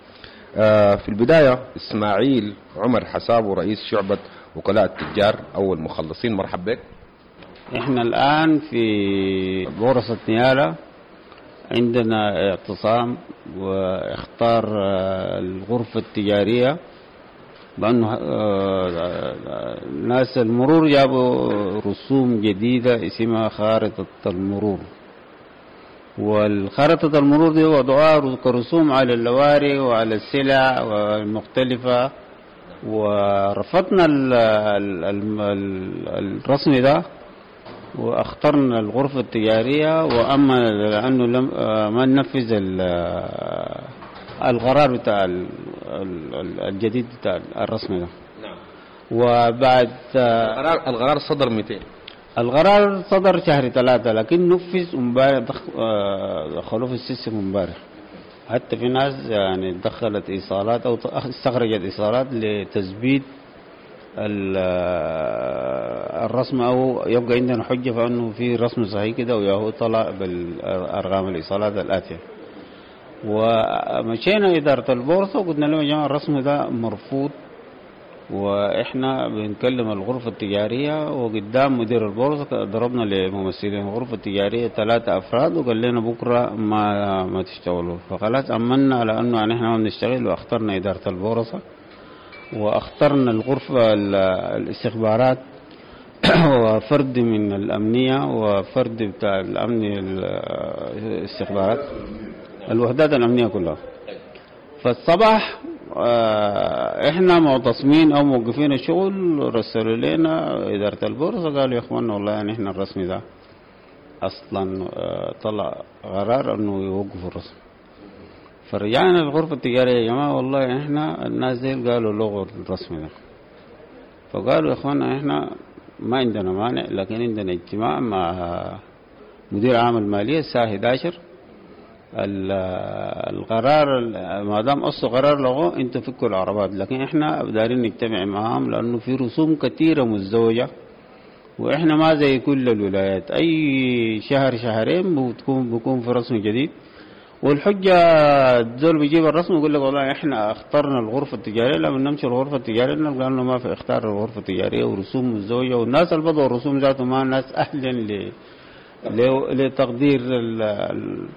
Speaker 17: في البداية إسماعيل عمر حسابه رئيس شعبة وكلاء التجار أو المخلصين، مرحبا بك.
Speaker 18: احنا الآن في بورصة نيالا عندنا اعتصام واختار الغرفة التجارية بأنه ناس المرور جابوا رسوم جديدة اسمها خارطة المرور، والخارطة المرور دي وضعوها كرسوم على اللواري وعلى السلع المختلفة، ورفضنا ال ال ال الرسم ده واخترنا الغرفة التجارية، وأما لأنه لم ما ننفذ القرار بتاع الجديد بتاع الرسم ده.
Speaker 17: نعم.
Speaker 18: وبعد
Speaker 17: القرار القرار صدر مئتين.
Speaker 18: القرار صدر شهر ثلاثة، لكن نفذ امبارح، دخلوه في ال system امبارح. حتى في ناس يعني دخلت ايصالات او استخرجت ايصالات لتثبيت الرسم، او يبقى عندنا حجه فانه في رسم صحيح كده، وياهو طلع بالارقام الايصالات الاتية. ومشينا ادارة البورصة وقلنا لهم يا جماعة الرسم ده مرفوض، واحنا بنكلم الغرفة التجارية، وقدام مدير البورصة ضربنا لممثلين الغرفة التجارية ثلاثة افراد وقال لنا بكره ما ما تشتغلوا. فخلاص امنا على انه يعني احنا ما بنشتغل، واخترنا ادارة البورصة واخترنا الغرفة الاستخبارات وفرد من الامنية وفرد بتاع الامن الاستخبارات، الوحدات الامنية كلها. فالصباح احنا معتصمين او موقفين الشغل، رسلوا لنا ادارة البورصة قالوا يا اخوانا والله يعني احنا الرسم ده اصلا طلع قرار انه يوقفوا الرسم. فرجعنا الغرفة التجارية يا جماعة والله احنا الناس دي قالوا لغوا الرسم ده. فقالوا يا اخوانا احنا ما عندنا مانع، لكن عندنا اجتماع مع مدير عام المالية الساعة احد عشر. القرار ما دام اصله قرار لغوه انتوا فكوا العربات، لكن احنا دارين نجتمع معاهم لانه في رسوم كثيرة مزدوجة، واحنا ما زي كل الولايات اي شهر شهرين بتكون بيكون في رسم جديد. والحجة الزول بيجيب الرسم ويقول لك والله احنا اخترنا الغرفة التجارية، لما نمشي الغرفة التجارية نلقى انه ما في اختار الغرفة التجارية ورسوم مزدوجة، والناس اللي بدوا الرسوم ذاته ما ناس اهلا ل لتقدير ال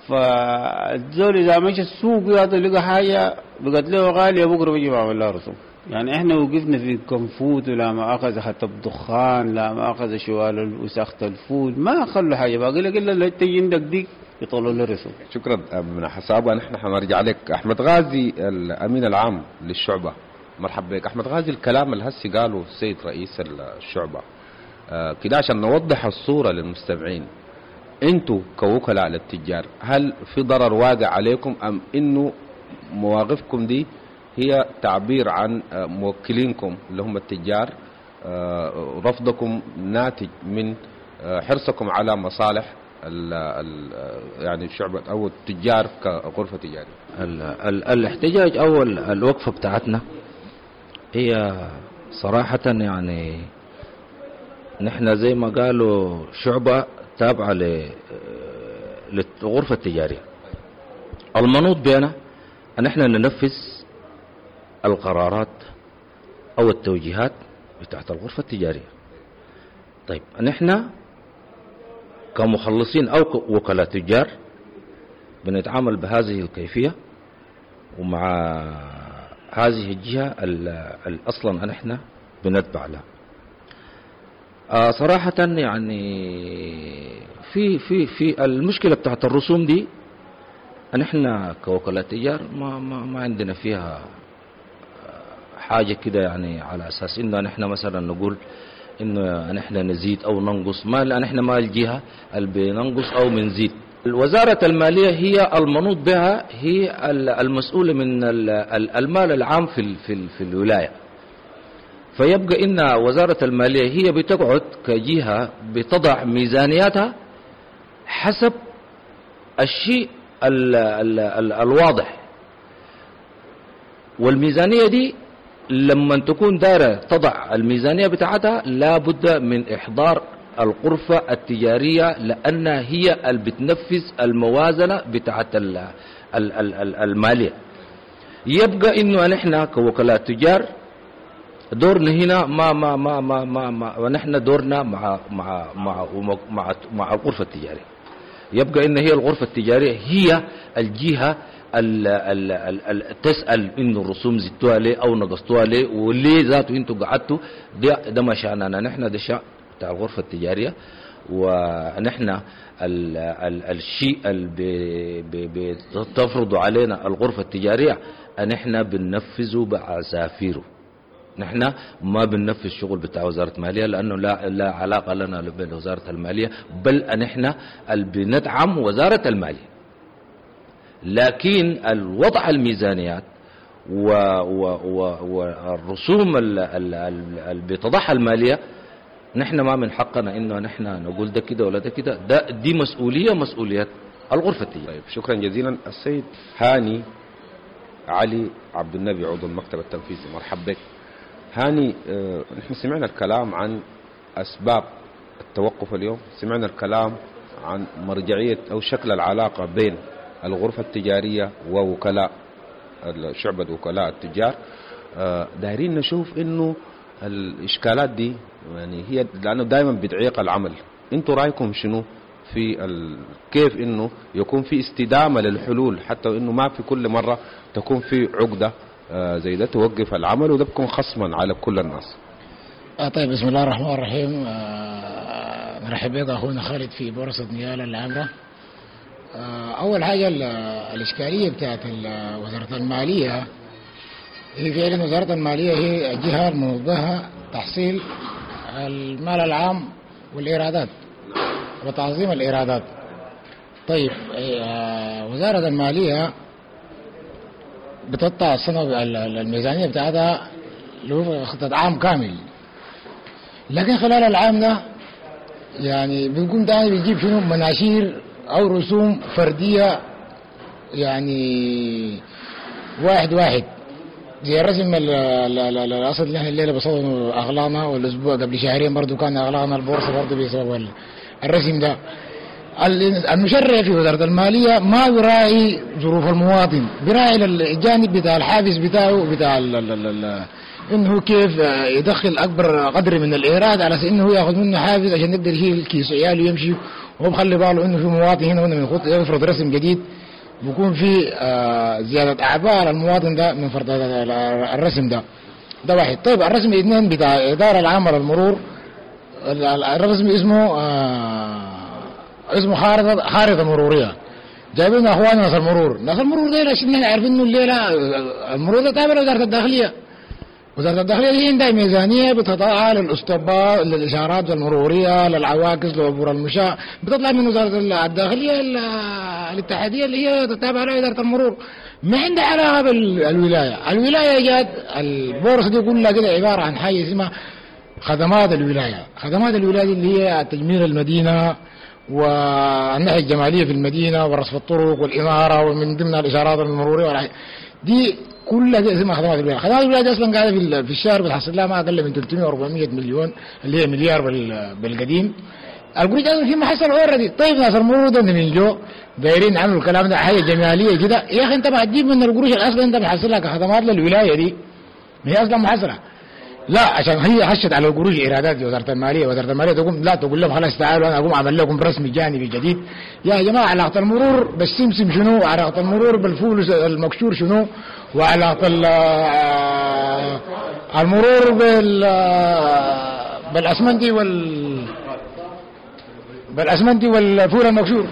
Speaker 18: فالزول اذا مشى السوق هذا لقى حاجة بقت له غالية بكره بيجي بعمل لها رسوم. يعني احنا وقفنا في كنفوت ولا مؤاخذة حتى بدخان، لا مؤاخذة شوال وساخة الفول، ما خلوا حاجة باقي لك الا تجي عندك ديك يطلعوا له رسوم.
Speaker 17: شكرا من حسابه. نحن حنرجع لك احمد غازي الامين العام للشعبه، مرحبا بك احمد غازي. الكلام اللي هسي قاله السيد رئيس الشعبة آه كده عشان نوضح الصورة للمستمعين، انتوا كوكلاء للتجار هل في ضرر واقع عليكم ام انه مواقفكم دي هي تعبير عن موكلينكم اللي هم التجار، رفضكم ناتج من حرصكم على مصالح ال ال يعني الشعب او التجار كغرفه تجارية؟
Speaker 19: ال ال الاحتجاج او الوقفة بتاعتنا هي صراحة يعني نحن زي ما قالوا شعبه تابعة للغرفة التجارية. المنوط بنا أن احنا ننفذ القرارات أو التوجيهات بتاعت الغرفة التجارية. طيب نحن كمخلصين أو وكلاء تجار بنتعامل بهذه الكيفية ومع هذه الجهة اللي أصلا نحن بنتبع لها. آه صراحة يعني في في في المشكلة بتاعت الرسوم دي نحن كوكلاء تجار ما ما ما عندنا فيها حاجة كده، يعني على أساس إنه نحن مثلا نقول إنه نحن نزيد أو ننقص، ما نحن ما الجهة اللي بننقص أو بنزيد. الوزارة المالية هي المنوط بها، هي المسؤولة من المال العام في في في الولاية. فيبقى إن وزارة المالية هي بتقعد كجهة بتضع ميزانياتها حسب الشيء ال ال ال الواضح، والميزانية دي لما تكون دارة تضع الميزانية بتاعتها لابد من إحضار الغرفة التجارية، لأنها هي اللي بتنفذ الموازنة بتاعت ال ال ال المالية. يبقى إنه نحن كوكلاء تجار دورنا هنا ما ما ما ما ما, ما ونحن دورنا مع مع مع مع مع الغرفة التجارية. يبقى ان هي الغرفة التجارية هي الجهة ال ال ال ال تسال انه الرسوم زدتوها ليه او نقصتوها ليه وليه ذاته انتوا قعدتوا. ده ده ما شاننا نحن، ده شأن بتاع الغرفة التجارية. ونحن ال ال الشيء اللي بتفرض علينا الغرفة التجارية نحن بننفذه بعسافيره. نحن ما بننفذ شغل بتاع وزارة المالية لأنه لا لا علاقة لنا بوزارة المالية، بل نحن اللي بندعم وزارة المالية. لكن الوضع الميزانيات والرسوم اللي بتضعها المالية نحن ما من حقنا انه نحن نقول ده كده ولا ده كده، ده دي مسؤولية مسؤولية الغرفة التجارية.
Speaker 17: طيب شكرا جزيلا السيد هاني علي عبد النبي عضو المكتب التنفيذي، مرحبا بك. هاني، اه نحن سمعنا الكلام عن اسباب التوقف اليوم، سمعنا الكلام عن مرجعية او شكل العلاقة بين الغرفة التجارية ووكلاء شعبة وكلاء التجار. اه دايرين نشوف انه الاشكالات دي يعني هي لانه دائما بتعيق العمل. انتوا رايكم شنو في ال... كيف انه يكون في استدامه للحلول حتى انه ما في كل مرة تكون في عقده آه زي ده توقف العمل وده بيكون خصما على كل الناس؟
Speaker 20: آه طيب بسم الله الرحمن الرحيم. آه نرحب بك اخونا خالد في بورصة نيالا العامره. آه اول حاجة الاشكالية بتاعت وزارة المالية هي فعلا وزارة المالية هي الجهة الموجهة تحصيل المال العام والايرادات وتعظيم الإيرادات. طيب وزارة المالية بتقطع السنة الميزانية بتاعتها لخطة عام كامل، لكن خلال العام ده يعني بيكون تاني بيجيب شنو مناشير أو رسوم فردية، يعني واحد واحد زي الرسم الأصل اللي احنا الليلة بصدنا أغلانا، والأسبوع قبل شهرين برضو كان أغلانا البورصة برضو بسبب الرسم ده. المشرع في وزارة المالية ما بيراعي ظروف المواطن، بيراعي الجانب بتاع الحافز بتاعه بتاع ال ال ال انه كيف يدخل اكبر قدر من الايراد على اساس انه ياخذ منه حافز عشان يقدر يشيل كيس عياله ويمشي، وهو مخلي باله انه في مواطن هنا وهنا من يفرض رسم جديد بيكون في زيادة اعباء على المواطن ده من فرض الرسم ده. ده واحد. طيب الرسم اثنين بتاع الادارة العامة للمرور، الرسم اسمه آه اسمه خارطة خارطة مرورية. جايبين اخواننا ناس المرور، ناس المرور ديل عشان احنا عارفين انه الليلة المرور ده تابع لوزارة الداخلية. وزارة الداخلية دي عندها ميزانية بتطلع للاستوبات للاشارات المرورية للعواكس لعبور المشاة، بتطلع من وزارة الداخلية الاتحادية اللي هي تتابع لها ادارة المرور. ما عندها علاقة بالولاية، الولاية جات البورصة دي كلها كده عبارة عن حاجة اسمها خدمات الولاية. خدمات الولاية اللي هي تجميل المدينة والناحية الجمالية في المدينة ورصف الطرق والاناره ومن ضمنها الاشارات المرورية دي كلها دي اسمها خدمات الولاية. خدمات الولاية دي اصلا قاعدة في الشهر بتحصل لها ما اقل من ثلاثمية وأربعمية مليون اللي هي مليار بالقديم. القروش اصلا في محصل already. طيب ناس المرور ده من جو دايرين عملوا الكلام ده حاجة جمالية كده، يا اخي انت ما تجيب من القروش اصلا انت بتحصلها كخدمات للولاية دي، ما هي اصلا محصله. لا عشان هي حشت على القروش ايرادات وزارة المالية، وزارة المالية تقوم لا تقول لهم خلاص تعالوا انا اقوم اعمل لكم رسم جانبي جديد. يا جماعة علاقة المرور بالسمسم شنو؟ وعلاقة المرور بالفول المكشور شنو؟ وعلاقة المرور بال بالاسمنتي وال بالاسمنتي والفول المكشور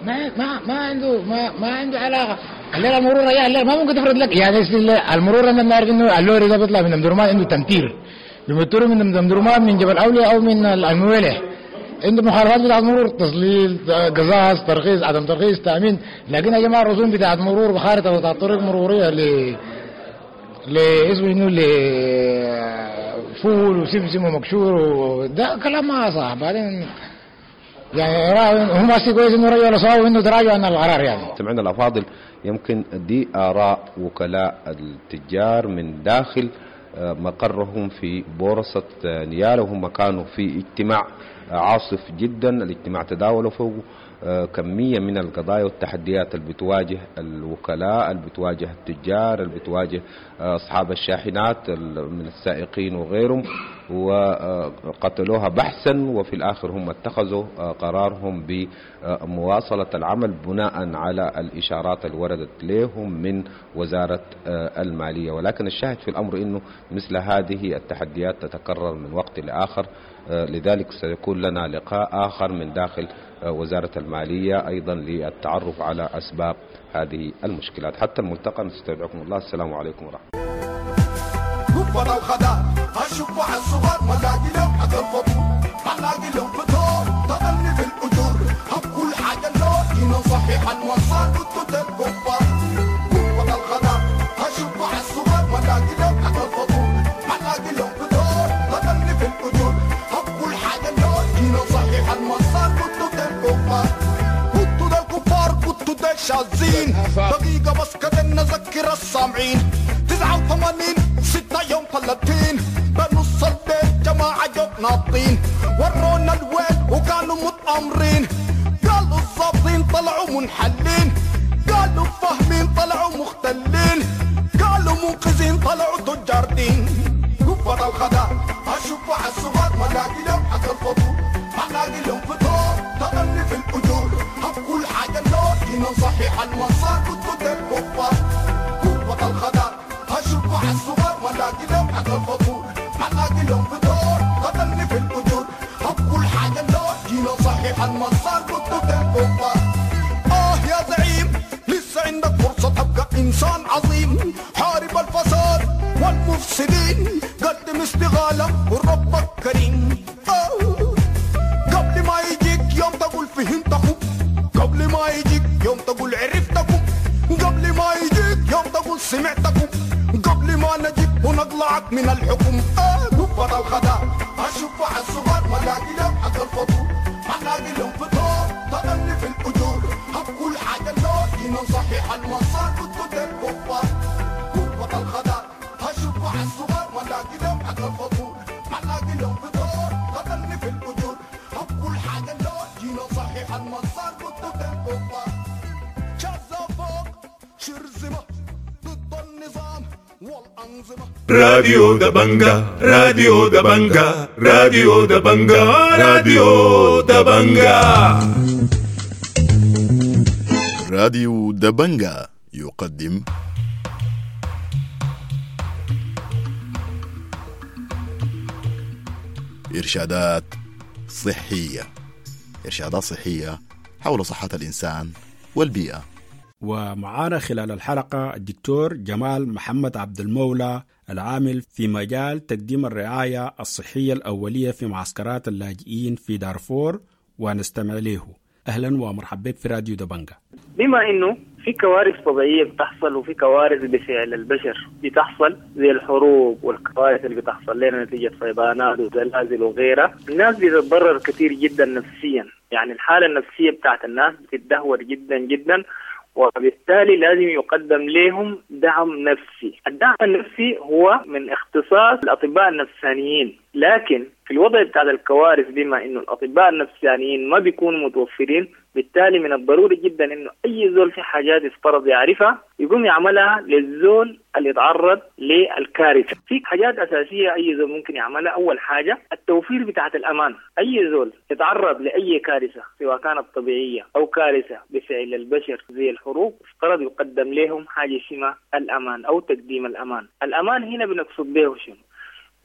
Speaker 20: ما ما ما عنده ما ما عنده علاقة. الليلة المرور يا الليلة ما ممكن تفرض لك يعني المرور انا بنعرف انه اللوري ده بيطلع من امدرمان عنده تمتير، بيمتروا من امدرمان من جبل اولياء او من الموالح، عنده مخالفات بتاعت مرور، تظليل، قزاز، ترخيص، عدم ترخيص، تامين. لكن يا جماعة الرسوم بتاعت مرور بخارطه بتاعت طريق مروريه ل لاسمه شنو لفول وسمسم ومكشور ده كلام ما صح. بعدين يعني هم ماشي كويس انه رجعوا لصواب انه تراجعوا عن القرار. يعني
Speaker 17: سمعنا الافاضل، يمكن دي اراء وكلاء التجار من داخل مقرهم في بورصة نيالا، وهم كانوا في اجتماع عاصف جدا. الاجتماع تداولوا فوق كمية من القضايا والتحديات اللي بتواجه الوكلاء، اللي بتواجه التجار، اللي بتواجه أصحاب الشاحنات من السائقين وغيرهم، وقتلوها بحثا، وفي الآخر هم اتخذوا قرارهم بمواصلة العمل بناء على الإشارات اللي وردت لهم من وزارة المالية. ولكن الشاهد في الأمر أنه مثل هذه التحديات تتكرر من وقت لآخر، لذلك سيكون لنا لقاء آخر من داخل وزارة المالية أيضا للتعرف على أسباب هذه المشكلات. حتى الملتقى نستودعكم الله، السلام عليكم ورحمة الله.
Speaker 1: شاذين دقيقة بس كده نذكر السامعين تسعة وثمانين ستة يوم ثلاثين بنص البيت جماعة جوب ناطين ورونا الويل وكانوا متأمرين، قالوا الظابطين طلعوا منحلين، قالوا فاهمين طلعوا مختلين، قالوا منقذين طلعوا تجار دين. قبة الخدار أشوف على الصغار ما لاقي لهم حق الفطور، ما لاقي لهم فطور تغني في الأجور كل حاجة اللون جينا صحيح المسار كنتوا الكفار. قوة الخدار أشوف على الصغار ما لاقي لهم حق الفطور، ما لاقي لهم فطور قتلني في الأجور كل حاجة اللون جينا صحيح المسار كنتوا الكفار. آه يا زعيم لسه عندك فرصة تبقى إنسان عظيم، حارب الفساد والمفسدين، قدم استغالة وربك كريم. آه قبل ما يجيك يوم تقول فهمتكم، قبل ما يجيك يوم تقول عرفتكم، قبل ما يجيك يوم تقول سمعتكم، قبل ما نجيك ونقلعك من الحكم. آه قبة الخدار أشوف على الصغار ما لاقي لهم حق الفطور، ما لاقي لهم فطور تغني في الأجور كل حاجة اللون جينا صحيح المسار كنتوا الكفار. قبة الخدار أشوف على الصغار ما لاقي لهم حق الفطور، ما لاقي لهم فطور تغني في الأجور كل حاجة اللون جينا صحيح المسار كنتوا الكفار. شاذة فوق شرذمة ضد النظام والأنظمة.
Speaker 21: راديو دبنجا، راديو دبنجا، راديو دبنجا، راديو دبنجا.
Speaker 22: راديو دبنجا يقدم إرشادات صحية، إرشادات صحية حول صحة الإنسان والبيئة.
Speaker 2: ومعانا خلال الحلقة الدكتور جمال محمد عبد المولى العامل في مجال تقديم الرعاية الصحية الأولية في معسكرات اللاجئين في دارفور، ونستمع له. أهلا ومرحبا بك في راديو دبنجا.
Speaker 23: بما إنه في كوارث طبيعية بتحصل وفي كوارث بفعل البشر بتحصل زي الحروب والكوارث اللي بتحصل لنا نتيجة فيضانات وزلازل وغيرها، الناس بتتضرر كثير جدا نفسيا، يعني الحالة النفسية بتاعت الناس بتتدهور جدا جدا، وبالتالي لازم يقدم لهم دعم نفسي. الدعم النفسي هو من اختصاص الأطباء النفسانيين، لكن في الوضع بتاع الكوارث بما إنه الأطباء النفسانيين ما بيكونوا متوفرين، بالتالي من الضروري جدا إنه أي زول في حاجات يفترض يعرفها يقوم يعملها للزول اللي يتعرض للكارثة. في حاجات أساسية أي زول ممكن يعملها. أول حاجة التوفير بتاعة الأمان. أي زول يتعرض لأي كارثة سواء كانت طبيعية أو كارثة بفعل البشر زي الحروب، افترض يقدم لهم حاجة اسمها الأمان أو تقديم الأمان. الأمان هنا بنقصد به شنو؟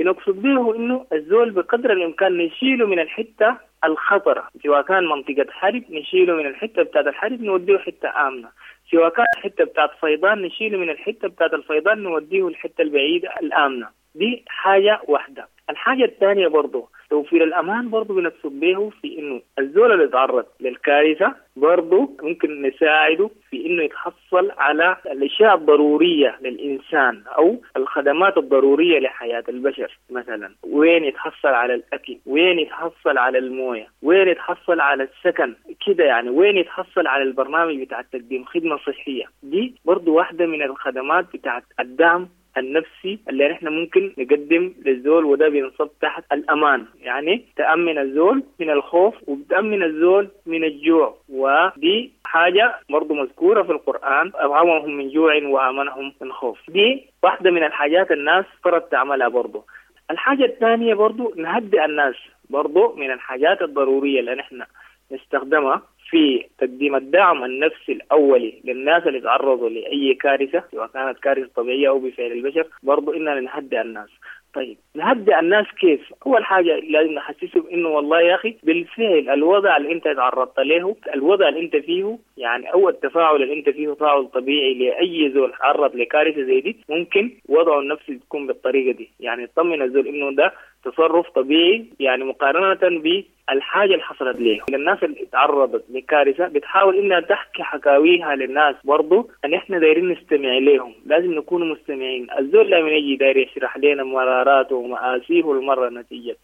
Speaker 23: بنقصد به إنه الزول بقدر الإمكان نشيله من الحتة الخطرة، سواء كان منطقة حرب نشيله من الحتة بتاعت الحرب نوديه حتة آمنة، سواء كان حتة بتاعت فيضان نشيله من الحتة بتاعت الفيضان نوديه الحتة البعيدة الآمنة. دي حاجة واحدة. الحاجة الثانية برضو توفير الأمان برضو بنقصد به في إنه الزول اللي يتعرض للكارثة برضو ممكن نساعده في إنه يتحصل على الأشياء الضرورية للإنسان أو الخدمات الضرورية لحياة البشر. مثلا وين يتحصل على الأكل، وين يتحصل على الموية، وين يتحصل على السكن كده يعني، وين يتحصل على البرنامج بتاع تقديم خدمة صحية. دي برضو واحدة من الخدمات بتاعت الدعم النفسي اللي نحن ممكن نقدم للزول، وده بينصب تحت الأمان. يعني تأمن الزول من الخوف وبتأمن الزول من الجوع، ودي حاجة برضو مذكورة في القرآن، أطعمهم من جوع وآمنهم من خوف. دي واحدة من الحاجات الناس فرض تعملها برضو. الحاجة الثانية برضو نهدئ الناس، برضو من الحاجات الضرورية اللي نحن نستخدمها في تقديم الدعم النفسي الأولي للناس اللي تعرضوا لأي كارثة، سواء كانت كارثة طبيعية أو بفعل البشر، برضو إننا نهدئ الناس. طيب نهدئ الناس كيف؟ أول حاجة لازم نحسسهم إنه والله يا أخي بالفعل الوضع اللي أنت تعرضت له، الوضع اللي أنت فيه يعني، أو التفاعل اللي أنت فيه تفاعل طبيعي لأي زول تعرض لكارثة زي دي، ممكن وضعه النفسي تكون بالطريقة دي. يعني تطمن الزول إنه ده تصرف طبيعي، يعني مقارنة بالحاجة اللي حصلت ليه. الناس اللي تعرضت لكارثة بتحاول إنها تحكي حكاويها للناس، برضو أن إحنا دايرين نستمع لهم، لازم نكون مستمعين. الزول لما يجي داير يشرح لنا مراراته ومآسيه المرة نتيجة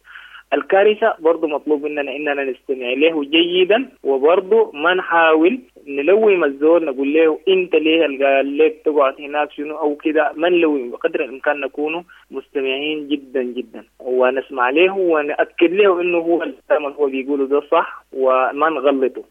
Speaker 23: الكارثة، برضو مطلوب مننا إننا نستمع له جيدا، وبرضو ما نحاول نلوم الزول نقول له أنت ليه قال لك تقعد هناك شنو أو كده، ما نلوم، بقدر الإمكان نكون مستمعين جدا جدا ونسمع له ونأكد له إنه هو الكلام اللي هو بيقوله ده صح وما نغلطه.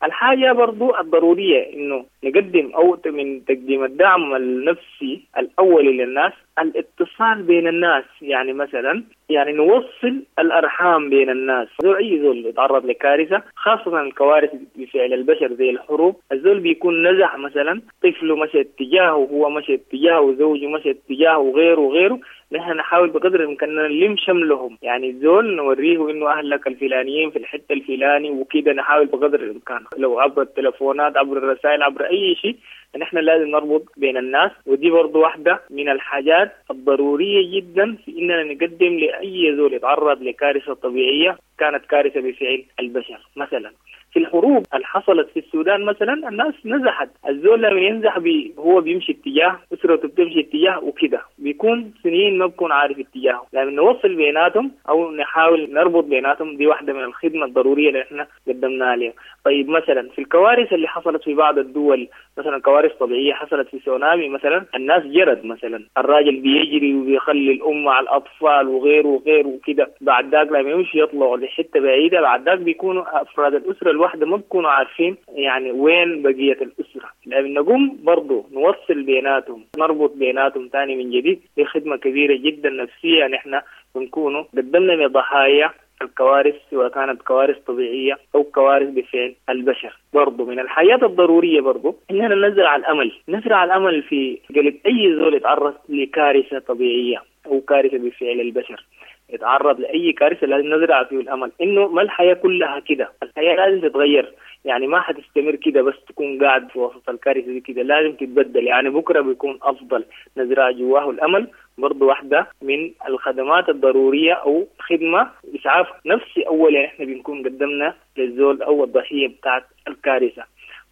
Speaker 23: الحاجة برضو الضرورية إنه نقدم أو من تقديم الدعم النفسي الأولي للناس الاتصال بين الناس. يعني مثلا يعني نوصل الأرحام بين الناس. زول أي زول يتعرض لكارثة، خاصة الكوارث بفعل البشر زي الحروب، الزول بيكون نزح مثلا، طفله مشى اتجاهه وهو مشى اتجاهه وزوجه مشى اتجاهه وغيره وغيره. نحن نحاول بقدر الإمكان نلم شملهم، يعني الزول نوريه إنه أهلك الفلانيين في الحتة الفلاني وكده، نحاول بقدر الإمكان لو عبر التلفونات عبر الرسائل عبر أي شيء، نحن لازم نربط بين الناس. ودي برضو واحدة من الحاجات الضرورية جدا في إننا نقدم لأي زول يتعرض لكارثة طبيعية كانت كارثة بفعل البشر. مثلا في الحروب اللي حصلت في السودان مثلا الناس نزحت، الزول لما ينزح بي هو بيمشي اتجاه، أسرته بتمشي اتجاه وكده، بيكون سنين ما بكون عارف اتجاهه. لما نوصل بيناتهم أو نحاول نربط بيناتهم، دي واحدة من الخدمة الضرورية اللي احنا قدمناها لهم. طيب مثلا في الكوارث اللي حصلت في بعض الدول، مثلا كوارث طبيعية حصلت في سونامي مثلا، الناس جرت مثلا، الراجل بيجري وبيخلي الأم مع الأطفال وغيره وغيره وكده، بعد ذاك لما يمشي يطلعوا لحتة بعيدة، بعد ذاك بيكونوا أفراد الأسرة الواحدة ما بيكونوا عارفين يعني وين بقية الأسرة. لأن نقوم برضو نوصل بيناتهم، نربط بيناتهم تاني من جديد، دي خدمة كبيرة جدا نفسية نحن بنكونوا قدمنا لضحايا الكوارث، سواء كانت كوارث طبيعية أو كوارث بفعل البشر. برضو من الحياة الضرورية برضو إننا نزرع الأمل، نزرع الأمل في قلب أي زول يتعرض لكارثة طبيعية أو كارثة بفعل البشر، يتعرض لأي كارثة لازم نزرع فيه الأمل إنه ما الحياة كلها كده، الحياة لازم تتغير، يعني ما حتستمر كده بس تكون قاعد في وسط الكارثة دي كده، لازم تتبدل، يعني بكرة بيكون أفضل. نزرع جواه الأمل برضو واحدة من الخدمات الضرورية أو خدمة إسعاف نفسي أول، يعني إحنا بنكون قدمنا للزول أو الضحية بتاعت الكارثة.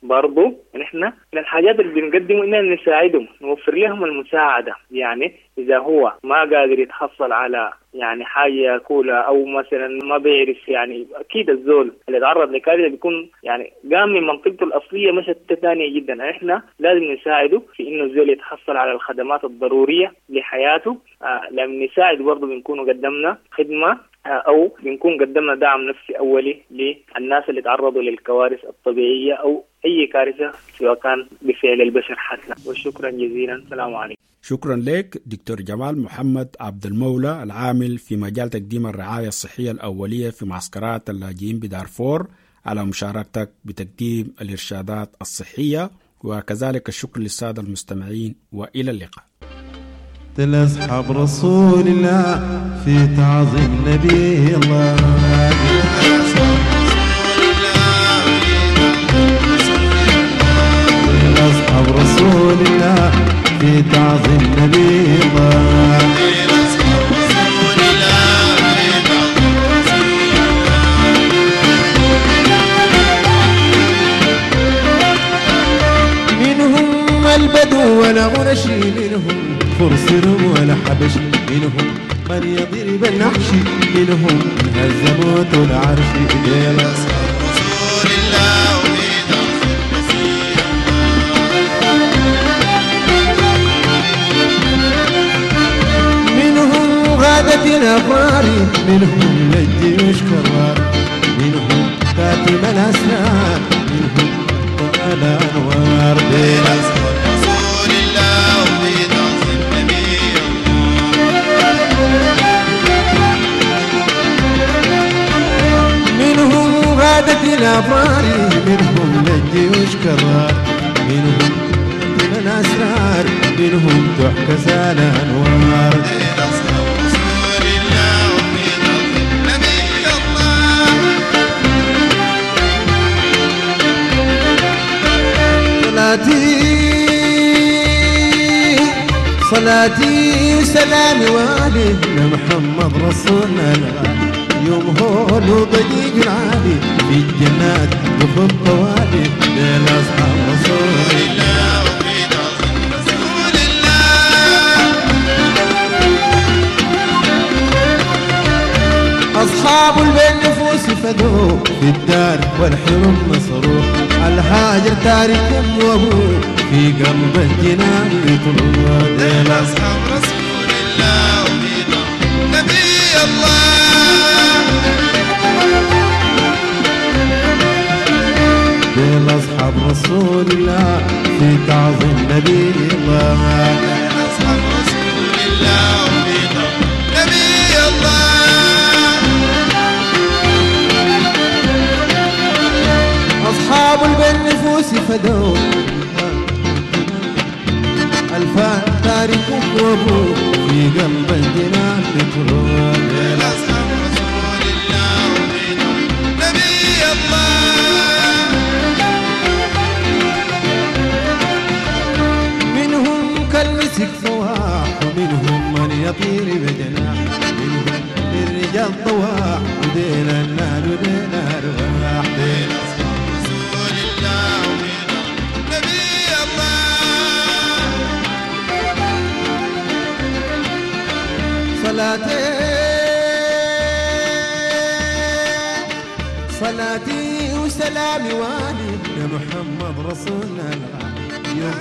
Speaker 23: برضو نحن من الحاجات اللي بنقدمه إننا نساعدهم، نوفر لهم المساعدة. يعني إذا هو ما قادر يتحصل على يعني حاجة ياكلها أو مثلا ما بيعرف، يعني أكيد الزول اللي تعرض لكارثة بيكون يعني قام من منطقته الأصلية مشت ثانية جدا، إحنا لازم نساعده في إنه الزول يتحصل على الخدمات الضرورية لحياته. آه لما نساعد برضو بنكون قدمنا خدمة أو بنكون قدمنا دعم نفسي أولي للناس اللي تعرضوا للكوارث الطبيعية أو أي كارثة سواء كان بفعل البشر حتى. وشكرا جزيلا، السلام عليكم.
Speaker 2: شكرا لك دكتور جمال محمد عبد المولى، العامل في مجال تقديم الرعاية الصحية الأولية في معسكرات اللاجئين بدارفور، على مشاركتك بتقديم الإرشادات الصحية، وكذلك الشكر للسادة المستمعين، وإلى اللقاء.
Speaker 4: أصحاب رسول الله في تعظيم نبي الله، أصحاب رسول الله في تعظيم نبي الله. منهم البدو ولا غنشي، منهم فرس ولا حبش، منهم من يضرب النحش، منهم هزموت العرش. إلى رسول الله وفي تعظيم نبي الله. غادة الأبرار، منهم للجيوش كرار، منهم كاتم الأسرار، منهم أبطال أنوار. ديل أصحاب
Speaker 6: رسول الله وفي تعظيم نبي
Speaker 4: الله. منهم غادة الأبرار، منهم للجيوش كرار، منهم كاتم الأسرار، منهم تحكى الأنوار.
Speaker 6: ديل أصحاب رسول الله وفي تعظيم نبي الله.
Speaker 4: صلاتي صلاتي وسلامي والي لمحمد رسولنا الغالي، يوم هول وضجيج العالي في الجنات دخل طوالي. ديل أصحاب رسول
Speaker 6: الله وفي تعظيم رسول الله.
Speaker 4: أصحاب البين نفوس فدوه في الدار والحرم نصروه، الهاجر تارك وابوه في قلب الجنان يطلوه.
Speaker 6: ديل أصحاب رسول الله وفي تعظيم نبي الله.
Speaker 4: ديل أصحاب رسول الله في تعظيم نبي الله.
Speaker 6: ديل أصحاب رسول الله وفي تعظيم نبي الله.
Speaker 4: أصحاب البين نفوس فدوا ألفان تارك وابوه في قلب الجنان يطلوه.
Speaker 6: ديل أصحاب رسول الله وفي تعظيم نبي الله.
Speaker 4: منهم كالمسك فواح، ومنهم من يطير بجناح، منهم للرجال طواح، وديل النار وديل أرواح.
Speaker 6: ديل أصحاب رسول الله وفي تعظيم نبي الله.
Speaker 4: صلاتي صلاتي وسلامي والي لمحمد رسولنا الغالي، يوم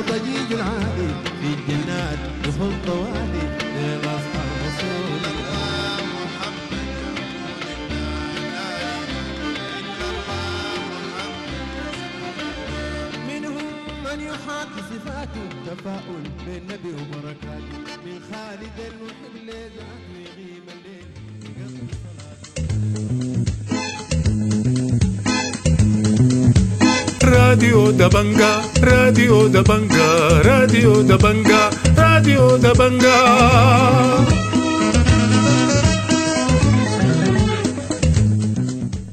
Speaker 4: ضجيج العالي في الجنات دخل طوالي. ديل أصحاب رسول
Speaker 6: الله محمد رسول الله لا إله إلا الله محمد رسول الله.
Speaker 4: منهم من يحاكي صفاته تفاؤل بالنبي وبركاته، من خالد المحب لذاته يغيم الليل يقضي صلاته.
Speaker 21: راديو دبنجا، راديو دبنجا، راديو دبنجا، راديو دبنجا.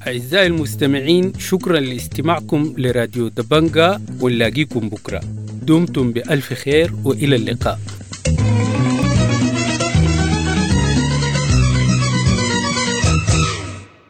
Speaker 11: أعزائي المستمعين، شكرا لاستماعكم لراديو دبنجا، ونلاقيكم بكرة. دمتم بألف خير وإلى اللقاء.